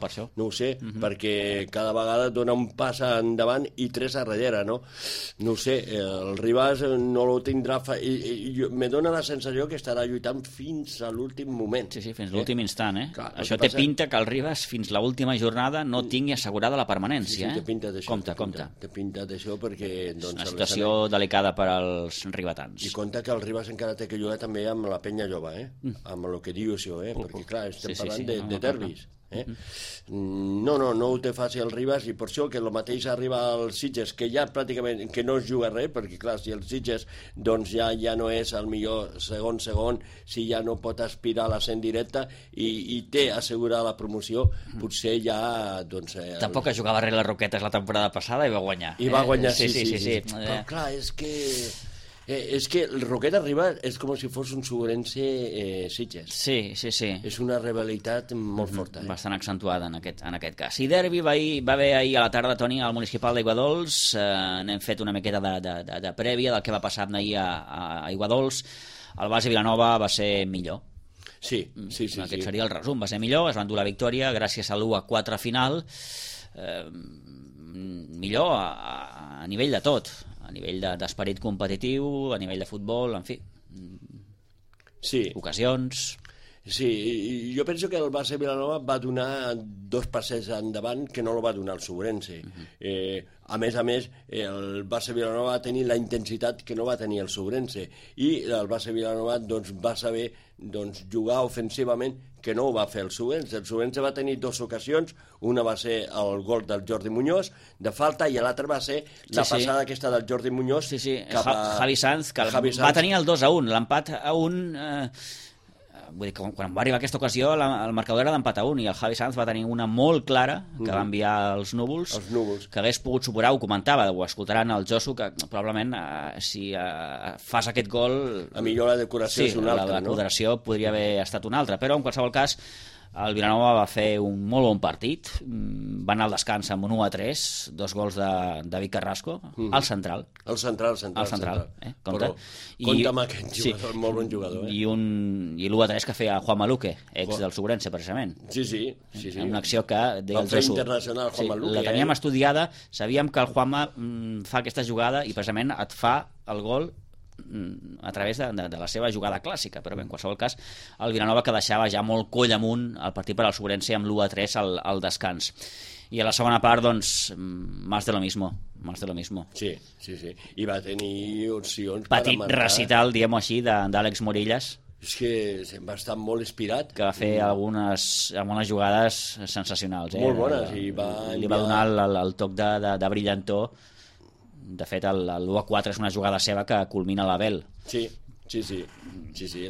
això. No ho sé, perquè cada vegada dona un pas endavant i 3 a darrere, no? No ho sé, el Ribes no lo tindrà... Me dona la sensació que estarà lluitant fins a l'últim moment. Sí, fins l'últim instant, Clar, això té pinta que el Ribes fins l'última jornada no tingui assegurada la permanència, Sí, té pinta d'això. Compte. Té pinta d'això perquè... És una situació delicada per als ribetans. I compta que el Ribes encara té que jugar també amb la penya jove, amb el que diu això, perquè clar, estem parlant de derbis. No ho té fàcil el Ribes, i per això que el mateix arriba al Sitges, que ja pràcticament que no es juga res, perquè clar, si el Sitges doncs ja no és el millor segon, si ja no pot aspirar a l'ascens directe i té assegurada la promoció, potser ja... Tampoc es jugava res les Roquetes la temporada passada i va guanyar. I va guanyar, sí. Però clar, és que el Roquet arriba és com si fos un Segurense Sitges. Sí. És una rivalitat molt forta. Bastant accentuada en aquest cas. I derbi va haver ahir a la tarda, Toni, al municipal d'Aiguadols. N'hem fet una miqueta de prèvia del que va passar ahir a Aiguadols. El base Vilanova va ser millor. Sí. Aquest seria el resum. Va ser millor, es van dur la victòria gràcies a l'1-4 final. Millor a nivell de tot, a nivell d'esperit competitiu, a nivell de futbol, en fi, ocasions. Sí, jo penso que el base Vilanova va donar 2 passes endavant que no el va donar el Segurense. A més, el base Vilanova va tenir la intensitat que no va tenir el Segurense, i el base Vilanova va saber jugar ofensivament, que no ho va fer el Segurense. El Segurense va tenir 2 ocasions, una va ser el gol del Jordi Muñoz de falta, i l'altra va ser la passada aquesta del Jordi Muñoz cap a Javi Sanz, que va tenir el 2-1, l'empat a 1. Vull dir, quan va arribar aquesta ocasió el marcador era d'empat a 1, i el Javi Sanz va tenir una molt clara que va enviar als núvols, que hagués pogut superar, ho comentava, ho escoltaran el Josu, que probablement si fas aquest gol, a millor la decoració és una altra, la decoració podria haver estat una altra, però en qualsevol cas el Vilanova va fer un molt bon partit, va anar al descans amb un 1-3, 2 gols de David Carrasco, al central. El central. Compte. Compte amb aquest jugador, molt bon jugador. I l'1-3 que feia Juan Maluque, ex del Segurense, precisament. Sí. Una acció que... Va fer internacional Juan Maluque. La teníem estudiada, sabíem que el Juanma fa aquesta jugada i precisament et fa el gol a través de la seva jugada clàssica, però bé, en qualsevol cas el Vilanova que deixava ja molt coll amunt el partit per al Segurense amb l'1-3 al descans, i a la segona part doncs más de lo mismo. Sí, i va tenir opcions petit per recital, diguem-ho així, d'Àlex Morillas, és que va estar molt inspirat, que va fer algunes jugades sensacionals, molt bones, i li va donar el toc de brillantor. De fet, l'1-4 és una jugada seva que culmina l'Abel. Sí,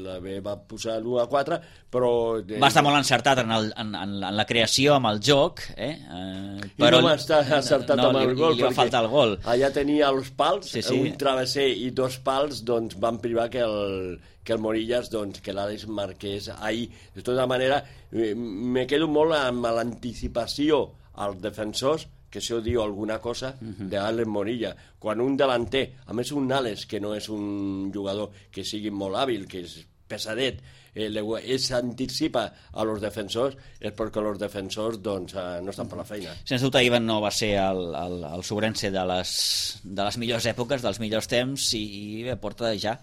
l'Abel va posar l'1-4, però... Va estar molt encertat en la creació, amb el joc, però no va estar encertat amb el gol, li va faltar el gol. Allà tenia els pals, un travesser i 2 pals, doncs van privar que el Morillas, que l'Àlex marqués ahir. De tota manera, me quedo molt amb l'anticipació als defensors, que això diu alguna cosa d'Àlex Morilla. Quan un delanter, a més un Àlex que no és un jugador que sigui molt hàbil, que és pesadet, s'anticipa a los defensors, és perquè els defensors doncs, no estan per la feina. Sens dubte, Ivan no va ser el Sobrense de les millors èpoques, dels millors temps, i bé, porta ja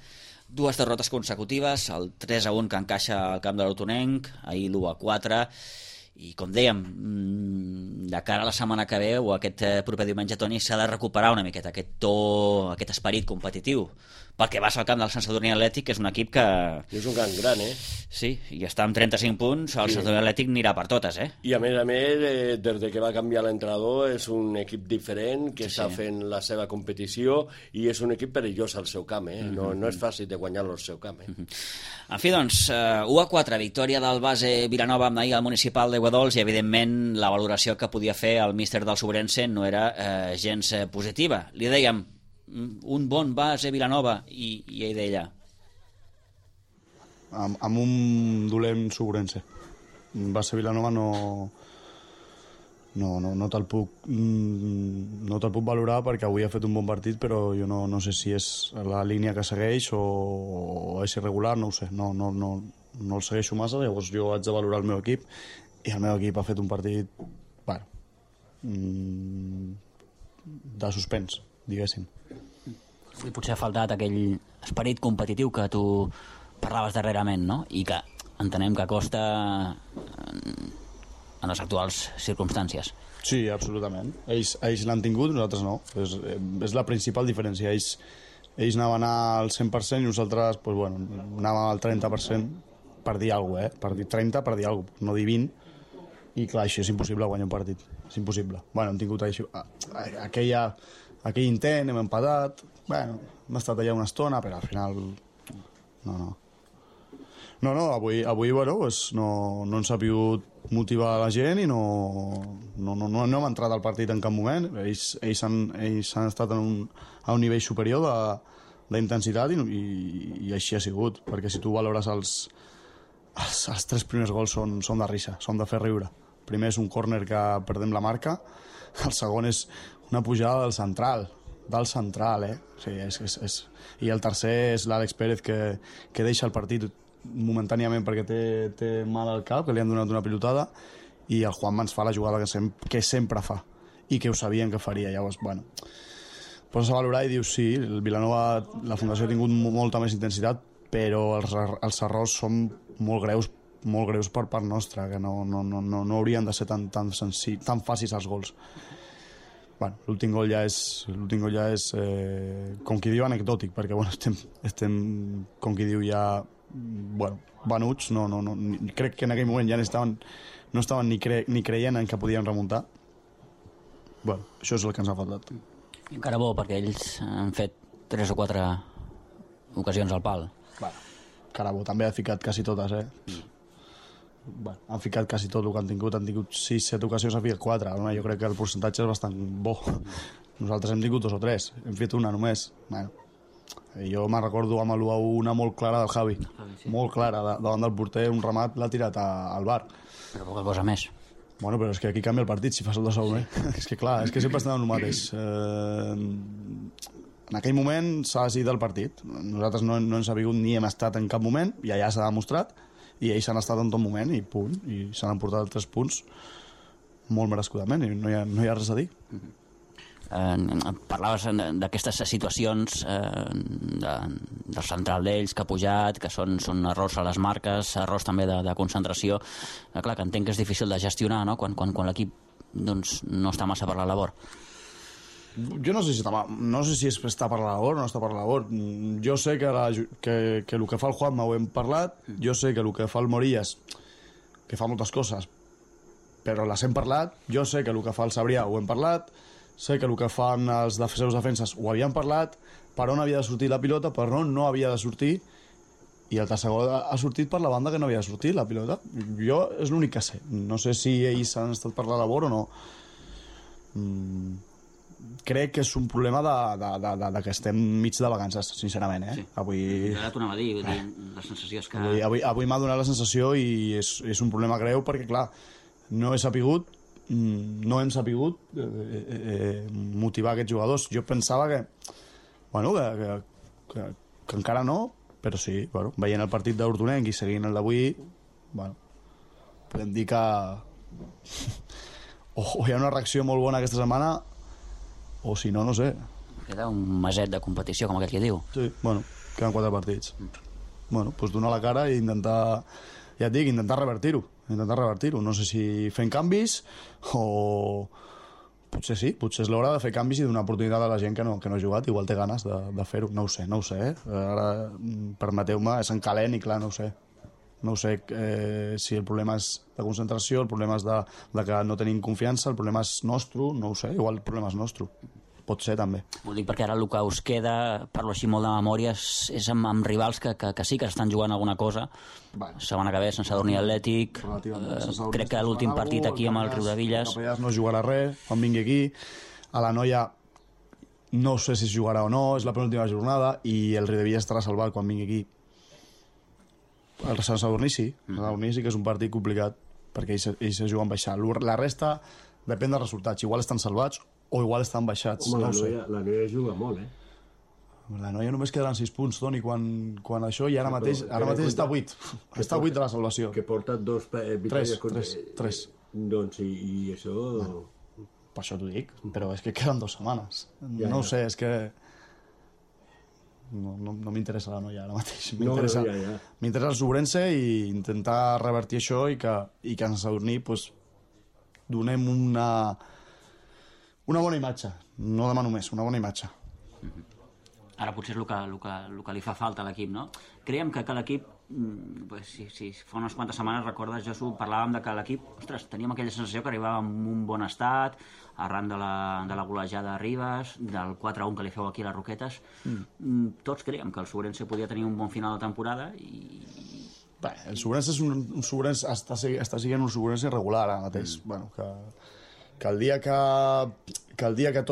2 derrotes consecutives, el 3-1 que encaixa al camp de l'Autonenc, ahir l'1-4, i com dèiem, de cara a la setmana que ve o aquest proper diumenge, Toni, s'ha de recuperar una miqueta aquest to, aquest esperit competitiu, perquè vas al camp del Sant Sadurní Atlètic, que és un equip que... És un gran, Sí, i està amb 35 punts, el Sant Sadurní Atlètic anirà per totes, I a més, des de que va canviar l'entrenador, és un equip diferent, que està fent la seva competició, i és un equip perillós al seu camp, no és fàcil de guanyar-lo al seu camp, En fi, doncs, 1-4, victòria del base Vilanova ahir al municipal de Guadols, i evidentment la valoració que podia fer el míster del Sobrense no era gens positiva. Li dèiem, un bon base Vilanova, i ell deia... Amb un dolent Sobrense. Base Vilanova no te'l puc valorar perquè avui ha fet un bon partit, però jo no sé si és la línia que segueix o és irregular, no ho sé, no el segueixo massa, llavors jo haig de valorar el meu equip, i el meu equip ha fet un partit de suspens, diguéssim. Sí, potser ha faltat aquell esperit competitiu que tu parlaves darrerament, no? I que entenem que costa en les actuals circumstàncies. Sí, absolutament. Ells l'han tingut, nosaltres no. És la principal diferència. Ells anaven al 100% i nosaltres anàvem al 30% per dir alguna cosa, per dir 30, per dir alguna cosa, no dir 20. I clar, així és impossible guanyar un partit. És impossible. Hem tingut aquell intent, hem empatat, hem estat allà una estona, però al final no, avui no ens ha pogut motivar la gent i no hem entrat al partit en cap moment. Ells han estat a un nivell superior d'intensitat i així ha sigut, perquè si tu valores els 3 primers gols són de risa, són de fer riure. El primer és un córner que perdem la marca, el segon és una pujada del central, Sí, i el tercer és l'Àlex Pérez que deixa el partit momentàniament perquè té mal al cap, que li han donat una pilotada, i el Juanma ens fa la jugada que sempre fa i que ho sabien que faria. Llavors, poses a valorar i dius sí, el Vilanova, la Fundació ha tingut molta més intensitat, però els errors són molt greus per part nostra, que no haurien de ser tan fàcils els gols. L'últim gol ja és com qui diu anecdòtic, perquè estem com qui diu ja venuts, crec que en aquell moment ja no estaven ni creient en que podien remuntar. Això és el que ens ha faltat. I encara bo, perquè ells han fet 3 o 4 ocasions al pal. Carabo també ha ficat quasi totes, han ficat quasi tot el que han tingut 6-7 ocasions, ha ficat 4. Jo crec que el percentatge és bastant bo. Nosaltres hem tingut 2 o 3, hem fet una només. Jo me'n recordo amb l'1-1 molt clara del Javi, molt clara, davant del porter, un remat l'ha tirat al bar. Però poca cosa més. Però és que aquí canvia el partit si fas el 2-1, És que clar, és que sempre estem en el mateix. En aquell moment s'ha decidit el partit. Nosaltres no ens ha vingut ni hem estat en cap moment, i allà s'ha demostrat, i ells han estat en tot moment i punt, i s'han emportat 3 punts molt merescudament, i no hi ha res a dir. Parlaves d'aquestes situacions del central d'ells que ha pujat, que són errors a les marques, errors també de concentració. Clar, que entenc que és difícil de gestionar, no?, quan l'equip no està massa per la labor. Jo no sé si està per la labor o no està per la labor. Jo sé que el que fa el Juanma ho hem parlat, jo sé que el que fa el Morillas, que fa moltes coses, però les hem parlat, jo sé que el que fa el Sabrià ho hem parlat, sé que el que fan els seus defenses ho havien parlat, per on havia de sortir la pilota, per on no havia de sortir, i el tercer gol ha sortit per la banda que no havia de sortir la pilota. Jo és l'únic que sé. No sé si ells han estat per la labor o no. Crec que és un problema de que estem mig de vacances, sincerament, Sí. Avui... Ara t'ho anava a dir, la sensació és que... Avui m'ha donat la sensació i és un problema greu perquè, clar, no hem sabut motivar aquests jugadors. Jo pensava que encara no, Però sí, bueno, veient el partit d'Hortonenc i seguint el d'avui, bueno, podem dir que o hi ha una reacció molt bona aquesta setmana o si no, no sé. Queda un meset de competició, com aquell que diu. Sí, bueno, queden 4 partits. Bueno, doncs donar la cara i intentar, ja et dic, intentar revertir-ho. No sé si fent canvis o... Potser sí, potser és l'hora de fer canvis i donar oportunitat a la gent que no ha jugat, igual té ganes de fer-ho, no ho sé. Ara, permeteu-me, és en calent i clar, no ho sé. No sé si el problema és de concentració, el problema és de que no tenim confiança, el problema és nostre, no ho sé, igual el problema és nostre. Pot ser, també. Ho dic perquè ara el que us queda, parlo així molt de memòria, és amb rivals que sí que estan jugant alguna cosa. Bueno. Setmana que ve, Sant Sadurní Atlètic. Crec que l'últim partit aquí amb el Riudevilles. El Capellàs no jugarà res quan vingui aquí. A la Noia no sé si jugarà o no, és la penúltima jornada, i el Riudevilles estarà salvat quan vingui aquí. El Sant Sadurní sí. El Sadurní sí que és un partit complicat, perquè ells se juguen baixar. La resta depèn dels resultats. Igual estan salvats o igual estan baixats. Home, no sé. La Noia juga molt, La Noia només quedaran 6 punts, Toni, quan això, i ara mateix està a 8. Està a 8 de la salvació. Que porta 2 victòries. 3. Doncs, i això... Bueno, per això t'ho dic, però és que queden 2 setmanes. No ho sé, és que... No m'interessa la Noia ara mateix. M'interessa el Sobrense i intentar revertir això i que en Sadurní pues, donem una bona imatge. No demano més, una bona imatge. Ara potser és el que li fa falta a l'equip, no? Creiem que l'equip, si fa unes quantes setmanes, recordes, Josu, parlàvem de que l'equip, ostres, teníem aquella sensació que arribava en un bon estat, arran de la golejada de Ribes, del 4-1 que li feu aquí a les Roquetes. Tots creiem que el Sobrense podia tenir un bon final de temporada i... Bé, el Sobrense és un Sobrense, està sent un Sobrense regular ara mateix. Bueno, que el dia que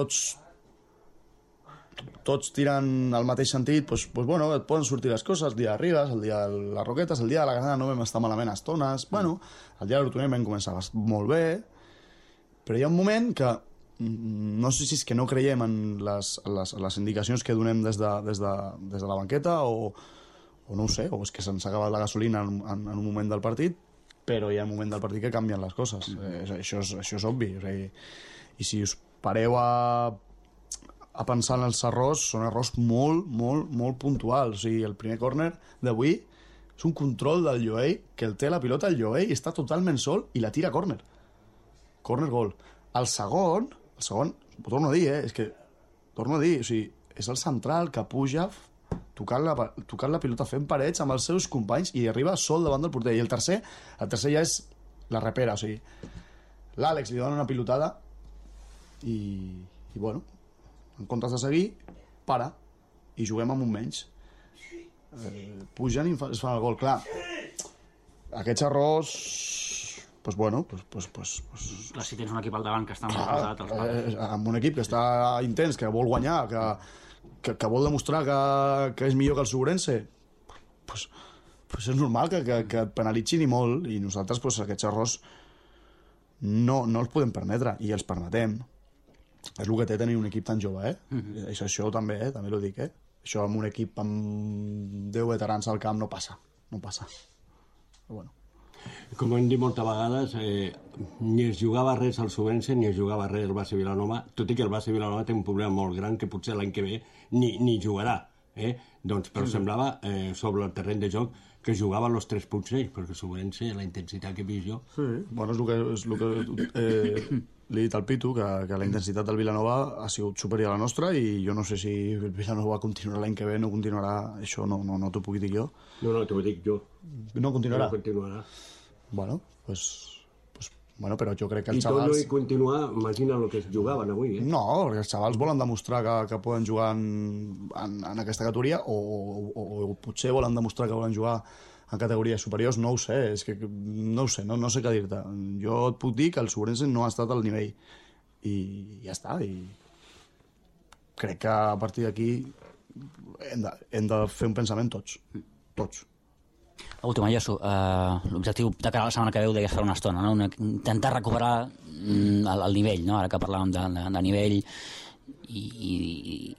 tots tiren al mateix sentit, pues, bueno, et poden sortir les coses, el dia de Ribes, el dia de les Roquetes, el dia de la Granada no vam estar malament a estones, bueno, el dia de l'Hortonenc vam començar molt bé, però hi ha un moment que no sé si és que no creiem en les indicacions que donem des de la banqueta o no ho sé, o és que se'ns ha acabat la gasolina en un moment del partit, però hi ha un moment del partit que canvien les coses. Això és obvi. O sigui, i si us pareu a pensar en els errors, són errors molt, molt, molt puntuals. O sigui, el primer córner d'avui és un control del Lloey, que el té la pilota el Lloey i està totalment sol i la tira a córner. Córner gol. El segon, ho torno a dir, torno a dir, o sigui, és el central que puja tocant la pilota, fent parets amb els seus companys i arriba sol davant del porter. I el tercer ja és la repera, o sigui, l'Àlex li dona una pilotada i bueno, en comptes de seguir, para i juguem amb un menys. Pugen i es fan el gol. Clar, aquests errors pues bueno, Clar, si tens un equip al davant que està molt posat als pares. Amb un equip que està intens, que vol guanyar, que vol demostrar que és millor que el Sobrense, pues és normal que et penalitzin i molt, i nosaltres aquests errors no els podem permetre, i els permetem. És el que té tenir un equip tan jove, Això també, també ho dic, Això amb un equip amb 10 veterans al camp no passa. Però bueno. Com hem dit moltes vegades, ni es jugava res al Sobrense ni es jugava res al Base Vilanova, tot i que el Base Vilanova té un problema molt gran que potser l'any que ve ni jugarà. Doncs, però semblava, sobre el terreny de joc, que jugaven els 3 punts ells, perquè el Sobrense, la intensitat que he vist jo... Sí, bueno, és el que li he dit al Pitu, que la intensitat del Vilanova ha sigut superior a la nostra, i jo no sé si el Vilanova continuarà l'any que ve, no continuarà, això no t'ho puc dir jo. No, t'ho dic jo. No continuarà? No continuarà. Bueno, bueno, però jo crec que els xavals... I tot no hi continuar, imagina el que es jugaven avui, No, perquè els xavals volen demostrar que poden jugar en aquesta categoria o potser volen demostrar que volen jugar en categories superiors, no ho sé, és que no ho sé, no sé què dir-te. Jo et puc dir que el Sobrense no ha estat al nivell i ja està, i crec que a partir d'aquí hem de fer un pensament tots. Última, Josu, l'objectiu de cara a la setmana que ve ho deies fa una estona, no? Intentar recuperar el nivell, no? Ara que parlàvem de nivell, i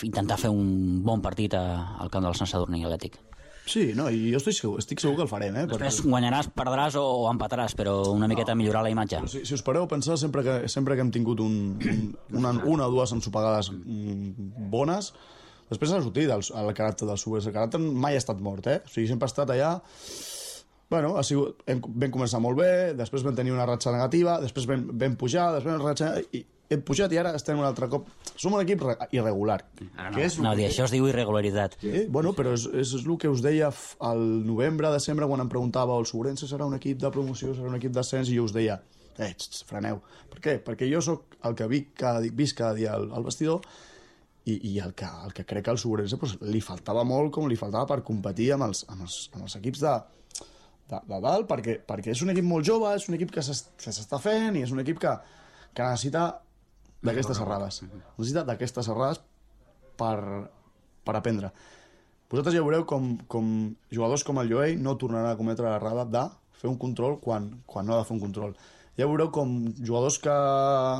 intentar fer un bon partit al camp del Sant Sadurní Atlètic. Sí, no, i jo estic segur que el farem, Després guanyaràs, perdràs o empataràs, però una miqueta millorar la imatge. Si us pareu pensar, sempre que hem tingut una o dues ensopegades bones, després ha sortit el caràcter del Subers. El caràcter mai ha estat mort, O sigui, sempre ha estat allà. Bueno, vam començar molt bé, després vam tenir una ratxa negativa, després vam pujar, després una ratxa... Hem pujat i ara estem un altre cop... Som un equip irregular. Això es diu irregularitat. Bueno, però és el que us deia al novembre, desembre, quan em preguntava el Sobrense serà un equip de promoció, serà un equip d'ascens, i jo us deia, freneu. Per què? Perquè jo sóc el que visc cada dia al vestidor i el que crec que al Sobrense li faltava molt, com li faltava per competir amb els equips de dalt, perquè és un equip molt jove, és un equip que s'està fent i és un equip que necessita d'aquestes errades. Necessita d'aquestes errades per aprendre. Vosaltres ja veureu com jugadors com el Joey no tornaran a cometre l'errada de fer un control quan no ha de fer un control. Ja veureu com jugadors que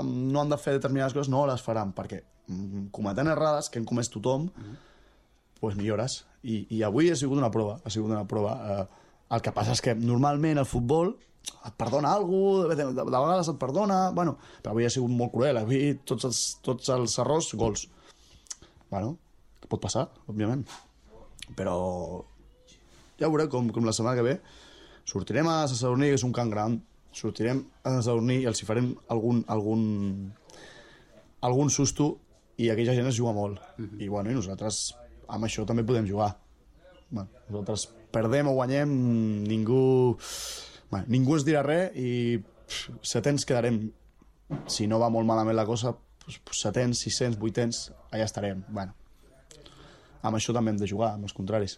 no han de fer determinades coses no les faran, perquè cometent errades que hem comès tothom, doncs millores. I avui ha sigut una prova. El que passa és que normalment el futbol et perdona alguna cosa, de vegades et perdona, bueno, però avui ha sigut molt cruel, avui tots els errors, gols. Bueno, pot passar, òbviament, però ja veureu com la setmana que ve sortirem a Sant Sadurní, que és un camp gran, sortirem a Sant Sadurní i els hi farem algun susto i aquella gent es juga molt. I bueno, i nosaltres amb això també podem jugar. Bueno, nosaltres perdem o guanyem, ningú ens dirà res i setens quedarem. Si no va molt malament la cosa, setens, 600, 800, allà estarem. Bueno, amb això també hem de jugar, amb els contraris.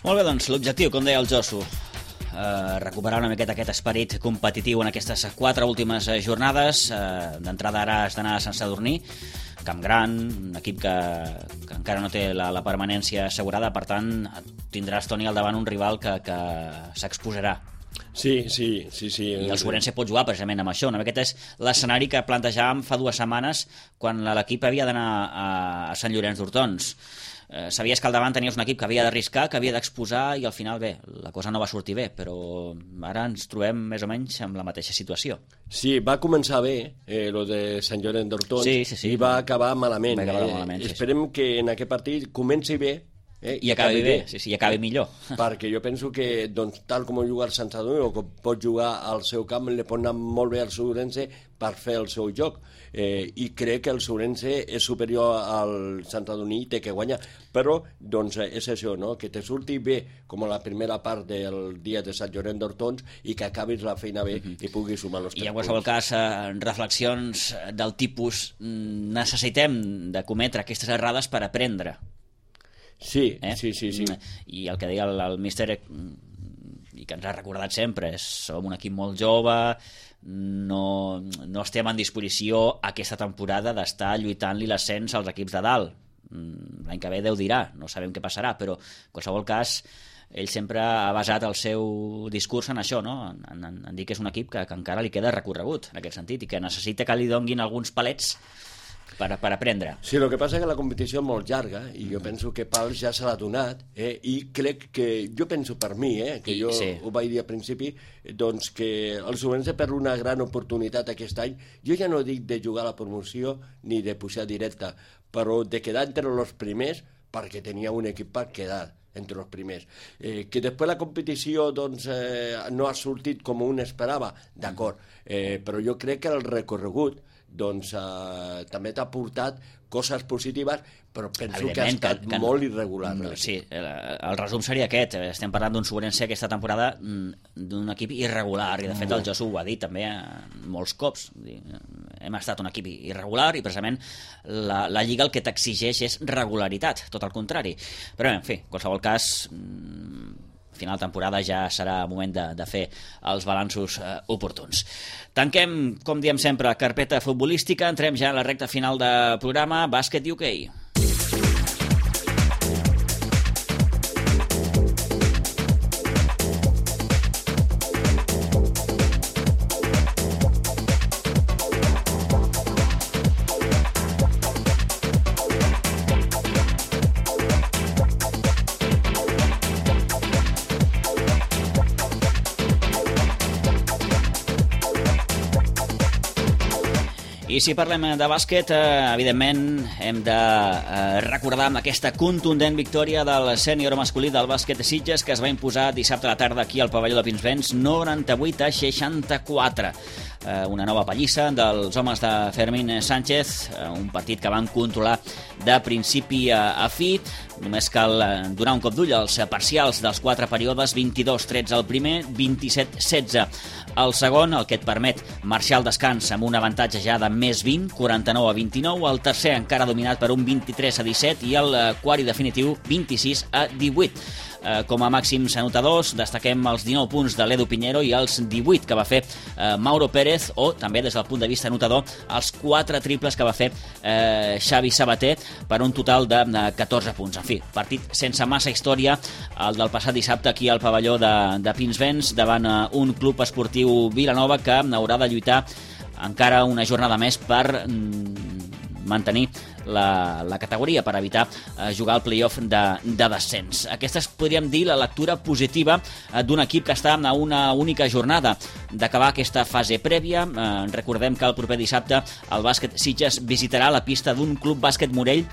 Molt bé, doncs, l'objectiu, com deia el Josu, recuperar una miqueta aquest esperit competitiu en aquestes 4 últimes jornades. D'entrada ara has d'anar a Sant Sadurní, camp gran, un equip que encara no té la permanència assegurada, per tant tindràs, Toni, al davant un rival que s'exposarà. Sí. I el Sobrense pot jugar precisament amb això. Una miqueta és l'escenari que plantejàvem fa 2 setmanes quan l'equip havia d'anar a Sant Llorenç d'Hortons. Sabies que al davant tenies un equip que havia d'arriscar, que havia d'exposar, i al final, bé, la cosa no va sortir bé, però ara ens trobem més o menys amb la mateixa situació. Sí, va començar bé, lo de Sant Llorenç d'Hortons, sí. I va acabar malament. Esperem que en aquest partit comenci bé, i acabi bé, i acabi millor. Perquè jo penso que, doncs, tal com juga el Sant Sadurní, o com pot jugar al seu camp, li pot anar molt bé al Sobrense per fer el seu joc. I crec que el Sobrense és superior al Sant Sadurní i té que guanyar. Però, doncs, és això, no? Que te surti bé, com a la primera part del dia de Sant Llorenç d'Hortons, i que acabis la feina bé i puguis sumar els 3 punts. I en qualsevol cas, reflexions del tipus necessitem de cometre aquestes errades per aprendre. Sí. I el que deia el míster, i que ens ha recordat sempre, som un equip molt jove, no estem en disposició aquesta temporada d'estar lluitant-li l'ascens als equips de dalt. L'any que ve Déu dirà, no sabem què passarà, però en qualsevol cas ell sempre ha basat el seu discurs en això, no? En dir que és un equip que encara li queda recorregut en aquest sentit i que necessita que li donguin alguns palets per aprendre. Sí, el que passa és que la competició és molt llarga i jo penso que Pals ja se l'ha donat, i crec que, jo penso per mi, que jo ho vaig dir al principi, doncs que el Sobrense perd una gran oportunitat aquest any. Jo ja no dic de jugar a la promoció ni de pujar directa, però de quedar entre els primers, perquè tenia un equip per quedar entre els primers. Que després la competició doncs, no ha sortit com un esperava, d'acord, però jo crec que el recorregut doncs també t'ha portat coses positives, però penso que ha estat molt irregular. Sí, el resum seria aquest. Estem parlant d'un Sobrense aquesta temporada, d'un equip irregular, i de fet el Josu ho ha dit també molts cops. Hem estat un equip irregular i precisament la Lliga el que t'exigeix és regularitat, tot el contrari. Però en fi, en qualsevol cas, final de temporada ja serà moment de fer els balanços oportuns. Tanquem, com diem sempre, carpeta futbolística, entrem ja a la recta final de programa Bàsquet UK. I si parlem de bàsquet, evidentment hem de recordar amb aquesta contundent victòria del sènior masculí del bàsquet de Sitges, que es va imposar dissabte a la tarda aquí al pavelló de Pinsbens 98-64. Una nova pallissa dels homes de Fermín Sánchez, un partit que van controlar de principi a fi. Només cal donar un cop d'ull als parcials dels 4 períodes: 22-13 el primer, 27-16 el segon, el que et permet marxar al descans amb un avantatge ja de més 20, 49-29, el tercer encara dominat per un 23-17 i el quart i definitiu 26-18. Com a màxims anotadors destaquem els 19 punts de l'Edu Piñero i els 18 que va fer Mauro Pérez, o també des del punt de vista anotador els 4 triples que va fer Xavi Sabater, per un total de 14 punts. En fi, partit sense massa història, el del passat dissabte aquí al pavelló de Pinsbens davant un club esportiu Vilanova que haurà de lluitar encara una jornada més per mantenir la categoria, per evitar jugar al playoff de descens. Aquesta és, podríem dir, la lectura positiva d'un equip que està a una única jornada d'acabar aquesta fase prèvia. Recordem que el proper dissabte el bàsquet Sitges visitarà la pista d'un club bàsquet Morell,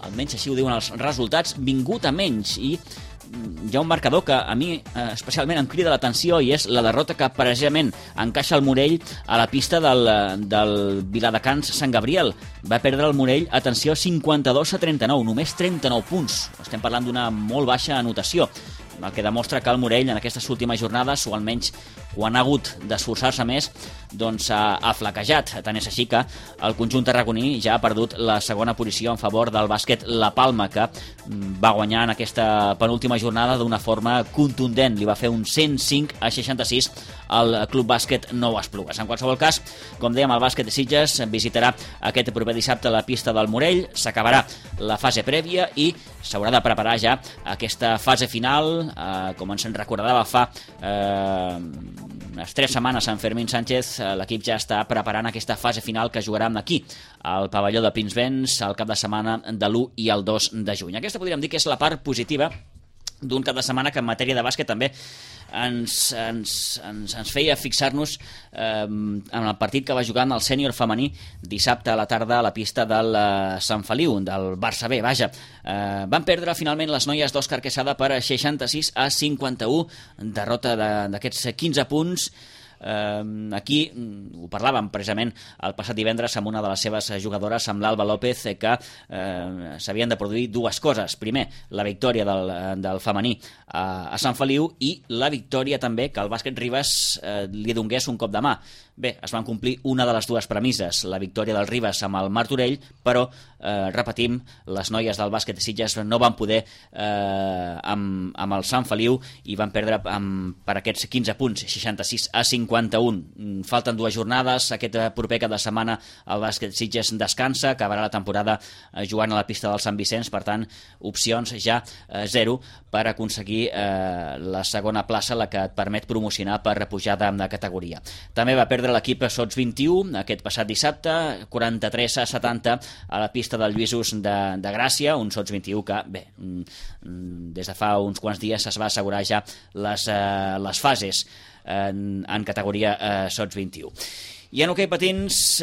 almenys així ho diuen els resultats, vingut a menys, i hi ha un marcador que a mi especialment em crida l'atenció, i és la derrota que precisament encaixa el Morell a la pista del Viladecans Sant Gabriel. Va perdre el Morell, atenció, 52-39, només 39 punts. Estem parlant d'una molt baixa anotació, el que demostra que el Morell en aquestes últimes jornades, o almenys quan ha hagut d'esforçar-se més, doncs ha flaquejat. Tant és així que el conjunt tarragoní ja ha perdut la segona posició en favor del bàsquet La Palma, que va guanyar en aquesta penúltima jornada d'una forma contundent. Li va fer un 105-66 al club bàsquet Nou Esplugues. En qualsevol cas, com dèiem, el bàsquet de Sitges visitarà aquest proper dissabte la pista del Morell, s'acabarà la fase prèvia i s'haurà de preparar ja aquesta fase final. Com ens en recordava fa unes 3 setmanes en Fermín Sánchez, l'equip ja està preparant aquesta fase final que jugaran aquí al pavelló de Pinsbens el cap de setmana de l'1 i el 2 de juny. Aquesta podríem dir que és la part positiva d'un cap de setmana que en matèria de bàsquet també ens feia fixar-nos en el partit que va jugar el sènior femení dissabte a la tarda a la pista del Sant Feliu, del Barça B. Vaja, van perdre finalment les noies d'Òscar Quesada per 66-51, derrota d'aquests 15 punts. Aquí ho parlàvem precisament el passat divendres amb una de les seves jugadores, amb l'Alba López, que s'havien de produir dues coses. Primer, la victòria del femení a Sant Feliu, i la victòria també que el bàsquet Ribes li donés un cop de mà. Bé, es van complir una de les dues premisses, la victòria del Ribes amb el Martorell, però, repetim, les noies del bàsquet de Sitges no van poder amb el Sant Feliu i van perdre per aquests 15 punts, 66-51. Falten 2 jornades, aquest proper cap de setmana el bàsquet Sitges descansa, acabarà la temporada jugant a la pista del Sant Vicenç, per tant, opcions ja 0 per aconseguir la segona plaça, la que et permet promocionar per pujar de categoria. També va perdre l'equip Sots 21 aquest passat dissabte, 43-70 a la pista del Lluïsos de Gràcia, un Sots 21 que, bé, des de fa uns quants dies es va assegurar ja les fases en categoria Sots 21. I en hoquei patins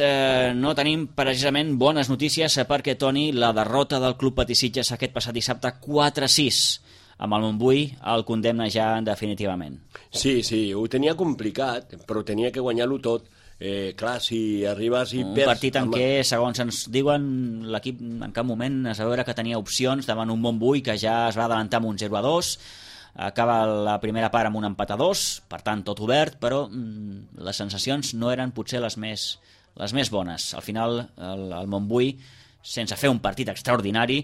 no tenim precisament bones notícies, perquè, Toni, la derrota del Club Patí Sitges aquest passat dissabte 4-6 amb el Montbui el condemna ja definitivament. Sí, ho tenia complicat, però tenia que guanyar-lo tot. Clar, si arribes i perds... Un partit en què, segons ens diuen, l'equip en cap moment es va veure que tenia opcions davant un Montbui que ja es va adelantar amb un 0-2, acaba la primera part amb un empat a 2, per tant tot obert, però les sensacions no eren potser les més bones. Al final el Montbui, sense fer un partit extraordinari,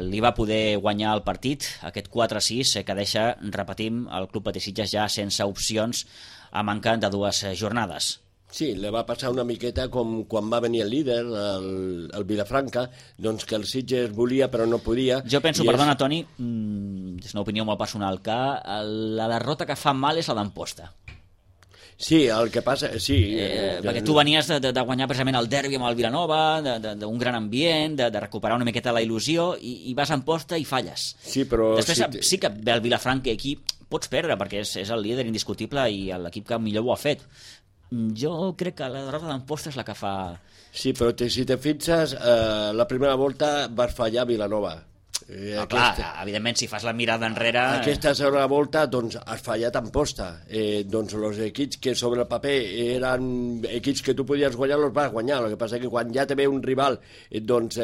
li va poder guanyar el partit, aquest 4-6 que deixa, repetim, el Club Patí Sitges ja sense opcions a manca de 2 jornades. Sí, le va passar una miqueta com quan va venir el líder, el Vilafranca, doncs que el Sitges volia però no podia. Jo penso, perdona, Toni, és una opinió molt personal, que la derrota que fa mal és la d'Amposta. Sí, el que passa... Sí, perquè tu venies de guanyar precisament el derbi amb el Vilanova, d'un gran ambient, de recuperar una miqueta la il·lusió, i vas a Amposta i falles. Sí, però... Després sí que ve el Vilafranca, aquí pots perdre, perquè és el líder indiscutible i l'equip que millor ho ha fet. Jo crec que la derrota d'Amposta és la que fa... Sí, però si te fixes, la primera volta vas fallar a Vilanova. Clar, evidentment, si fas la mirada enrere... Aquesta segona volta, doncs, has fallat Amposta. Doncs els equips que sobre el paper eren equips que tu podies guanyar, els vas guanyar. El que passa que quan ja te ve un rival, doncs...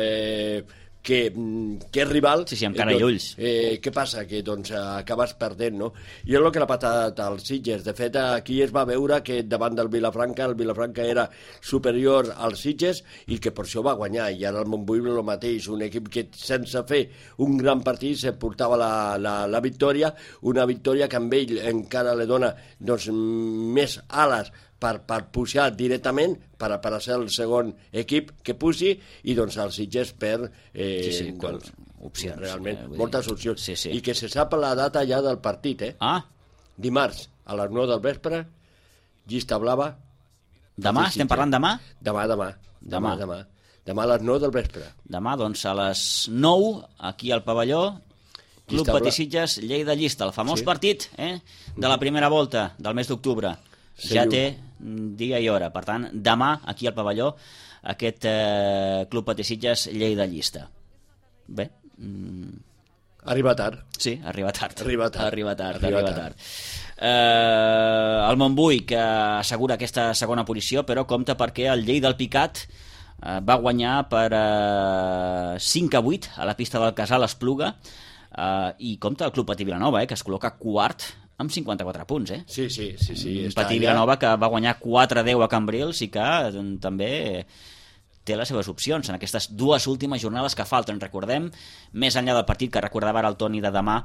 que és rival... Sí, amb cara i ulls. Què passa? Que doncs acabes perdent, no? I és el que l'ha patat als Sitges. De fet, aquí es va veure que davant del Vilafranca, el Vilafranca era superior als Sitges i que per això va guanyar. I ara el Montbui el mateix, un equip que sense fer un gran partit se portava la victòria, una victòria que amb ell encara li dona doncs, més ales per pujar directament, per a ser el segon equip que pugi, i doncs els Sitges per doncs, opcions, realment moltes opcions. Sí. I que se sap la data ja del partit, Dimarts, a les 9 del vespre, llista blava. Demà? Estem parlant demà? Demà a les 9 del vespre. Demà, doncs, a les 9, aquí al pavelló, Club Patí Sitges, Lleida Llista, el famós partit de la primera volta del mes d'octubre. Ja té dia i hora. Per tant, demà, aquí al pavelló, aquest Club Patí Sitges, Lleida Llista. Bé. Arriba tard. Sí, arriba tard. Arriba tard. El Montbui, que assegura aquesta segona posició, però compta perquè el Lleida del Picat va guanyar per 5-8 a la pista del Casal Espluga, i compta el Club Patí Vilanova, que es col·loca quart amb 54 punts, Sí. Patí Vilanova, que va guanyar 4-10 a Cambrils i que també té les seves opcions en aquestes dues últimes jornades que falten. Recordem, més enllà del partit que recordava ara el Toni de demà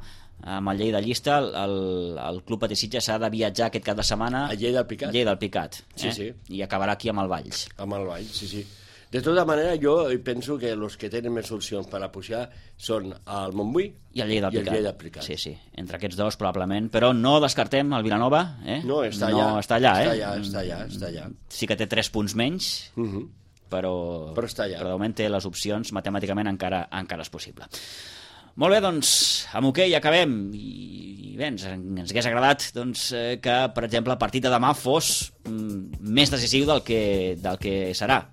amb el Lleida Llista, el Club Patí Sitges s'ha de viatjar aquest cap de setmana a Lleida del Picat. Sí. I acabarà aquí amb el Valls. Sí. De tota manera, jo penso que els que tenen més opcions per a pujar són el Montbui i el Lleida del Picat. Sí. Entre aquests dos, probablement. Però no descartem el Vilanova. No, està allà. Sí que té 3 punts menys, però està allà. Però de moment té les opcions, matemàticament encara és possible. Molt bé, doncs, amb hoquei acabem. I bé, ens hagués agradat doncs, que, per exemple, el partit de demà fos més decisiu del que serà.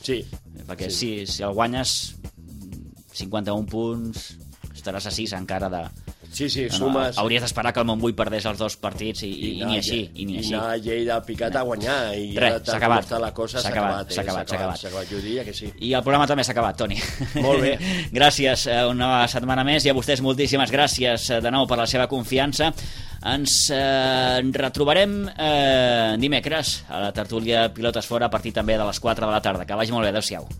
Sí. Perquè si el guanyes 51 punts, estaràs a 6 encara de... Sí, sumes... Hauries d'esperar que el Montbui perdés els 2 partits i ni així. I anar a Lleida al Picat a guanyar. I res, s'ha acabat. S'ha acabat. Jo diria que sí. I el programa també s'ha acabat, Toni. Molt bé. Gràcies una setmana més i a vostès moltíssimes gràcies de nou per la seva confiança. Ens retrobarem dimecres a la tertúlia Pilotes Fora a partir també de les 4 de la tarda. Que vagi molt bé, adeu-siau.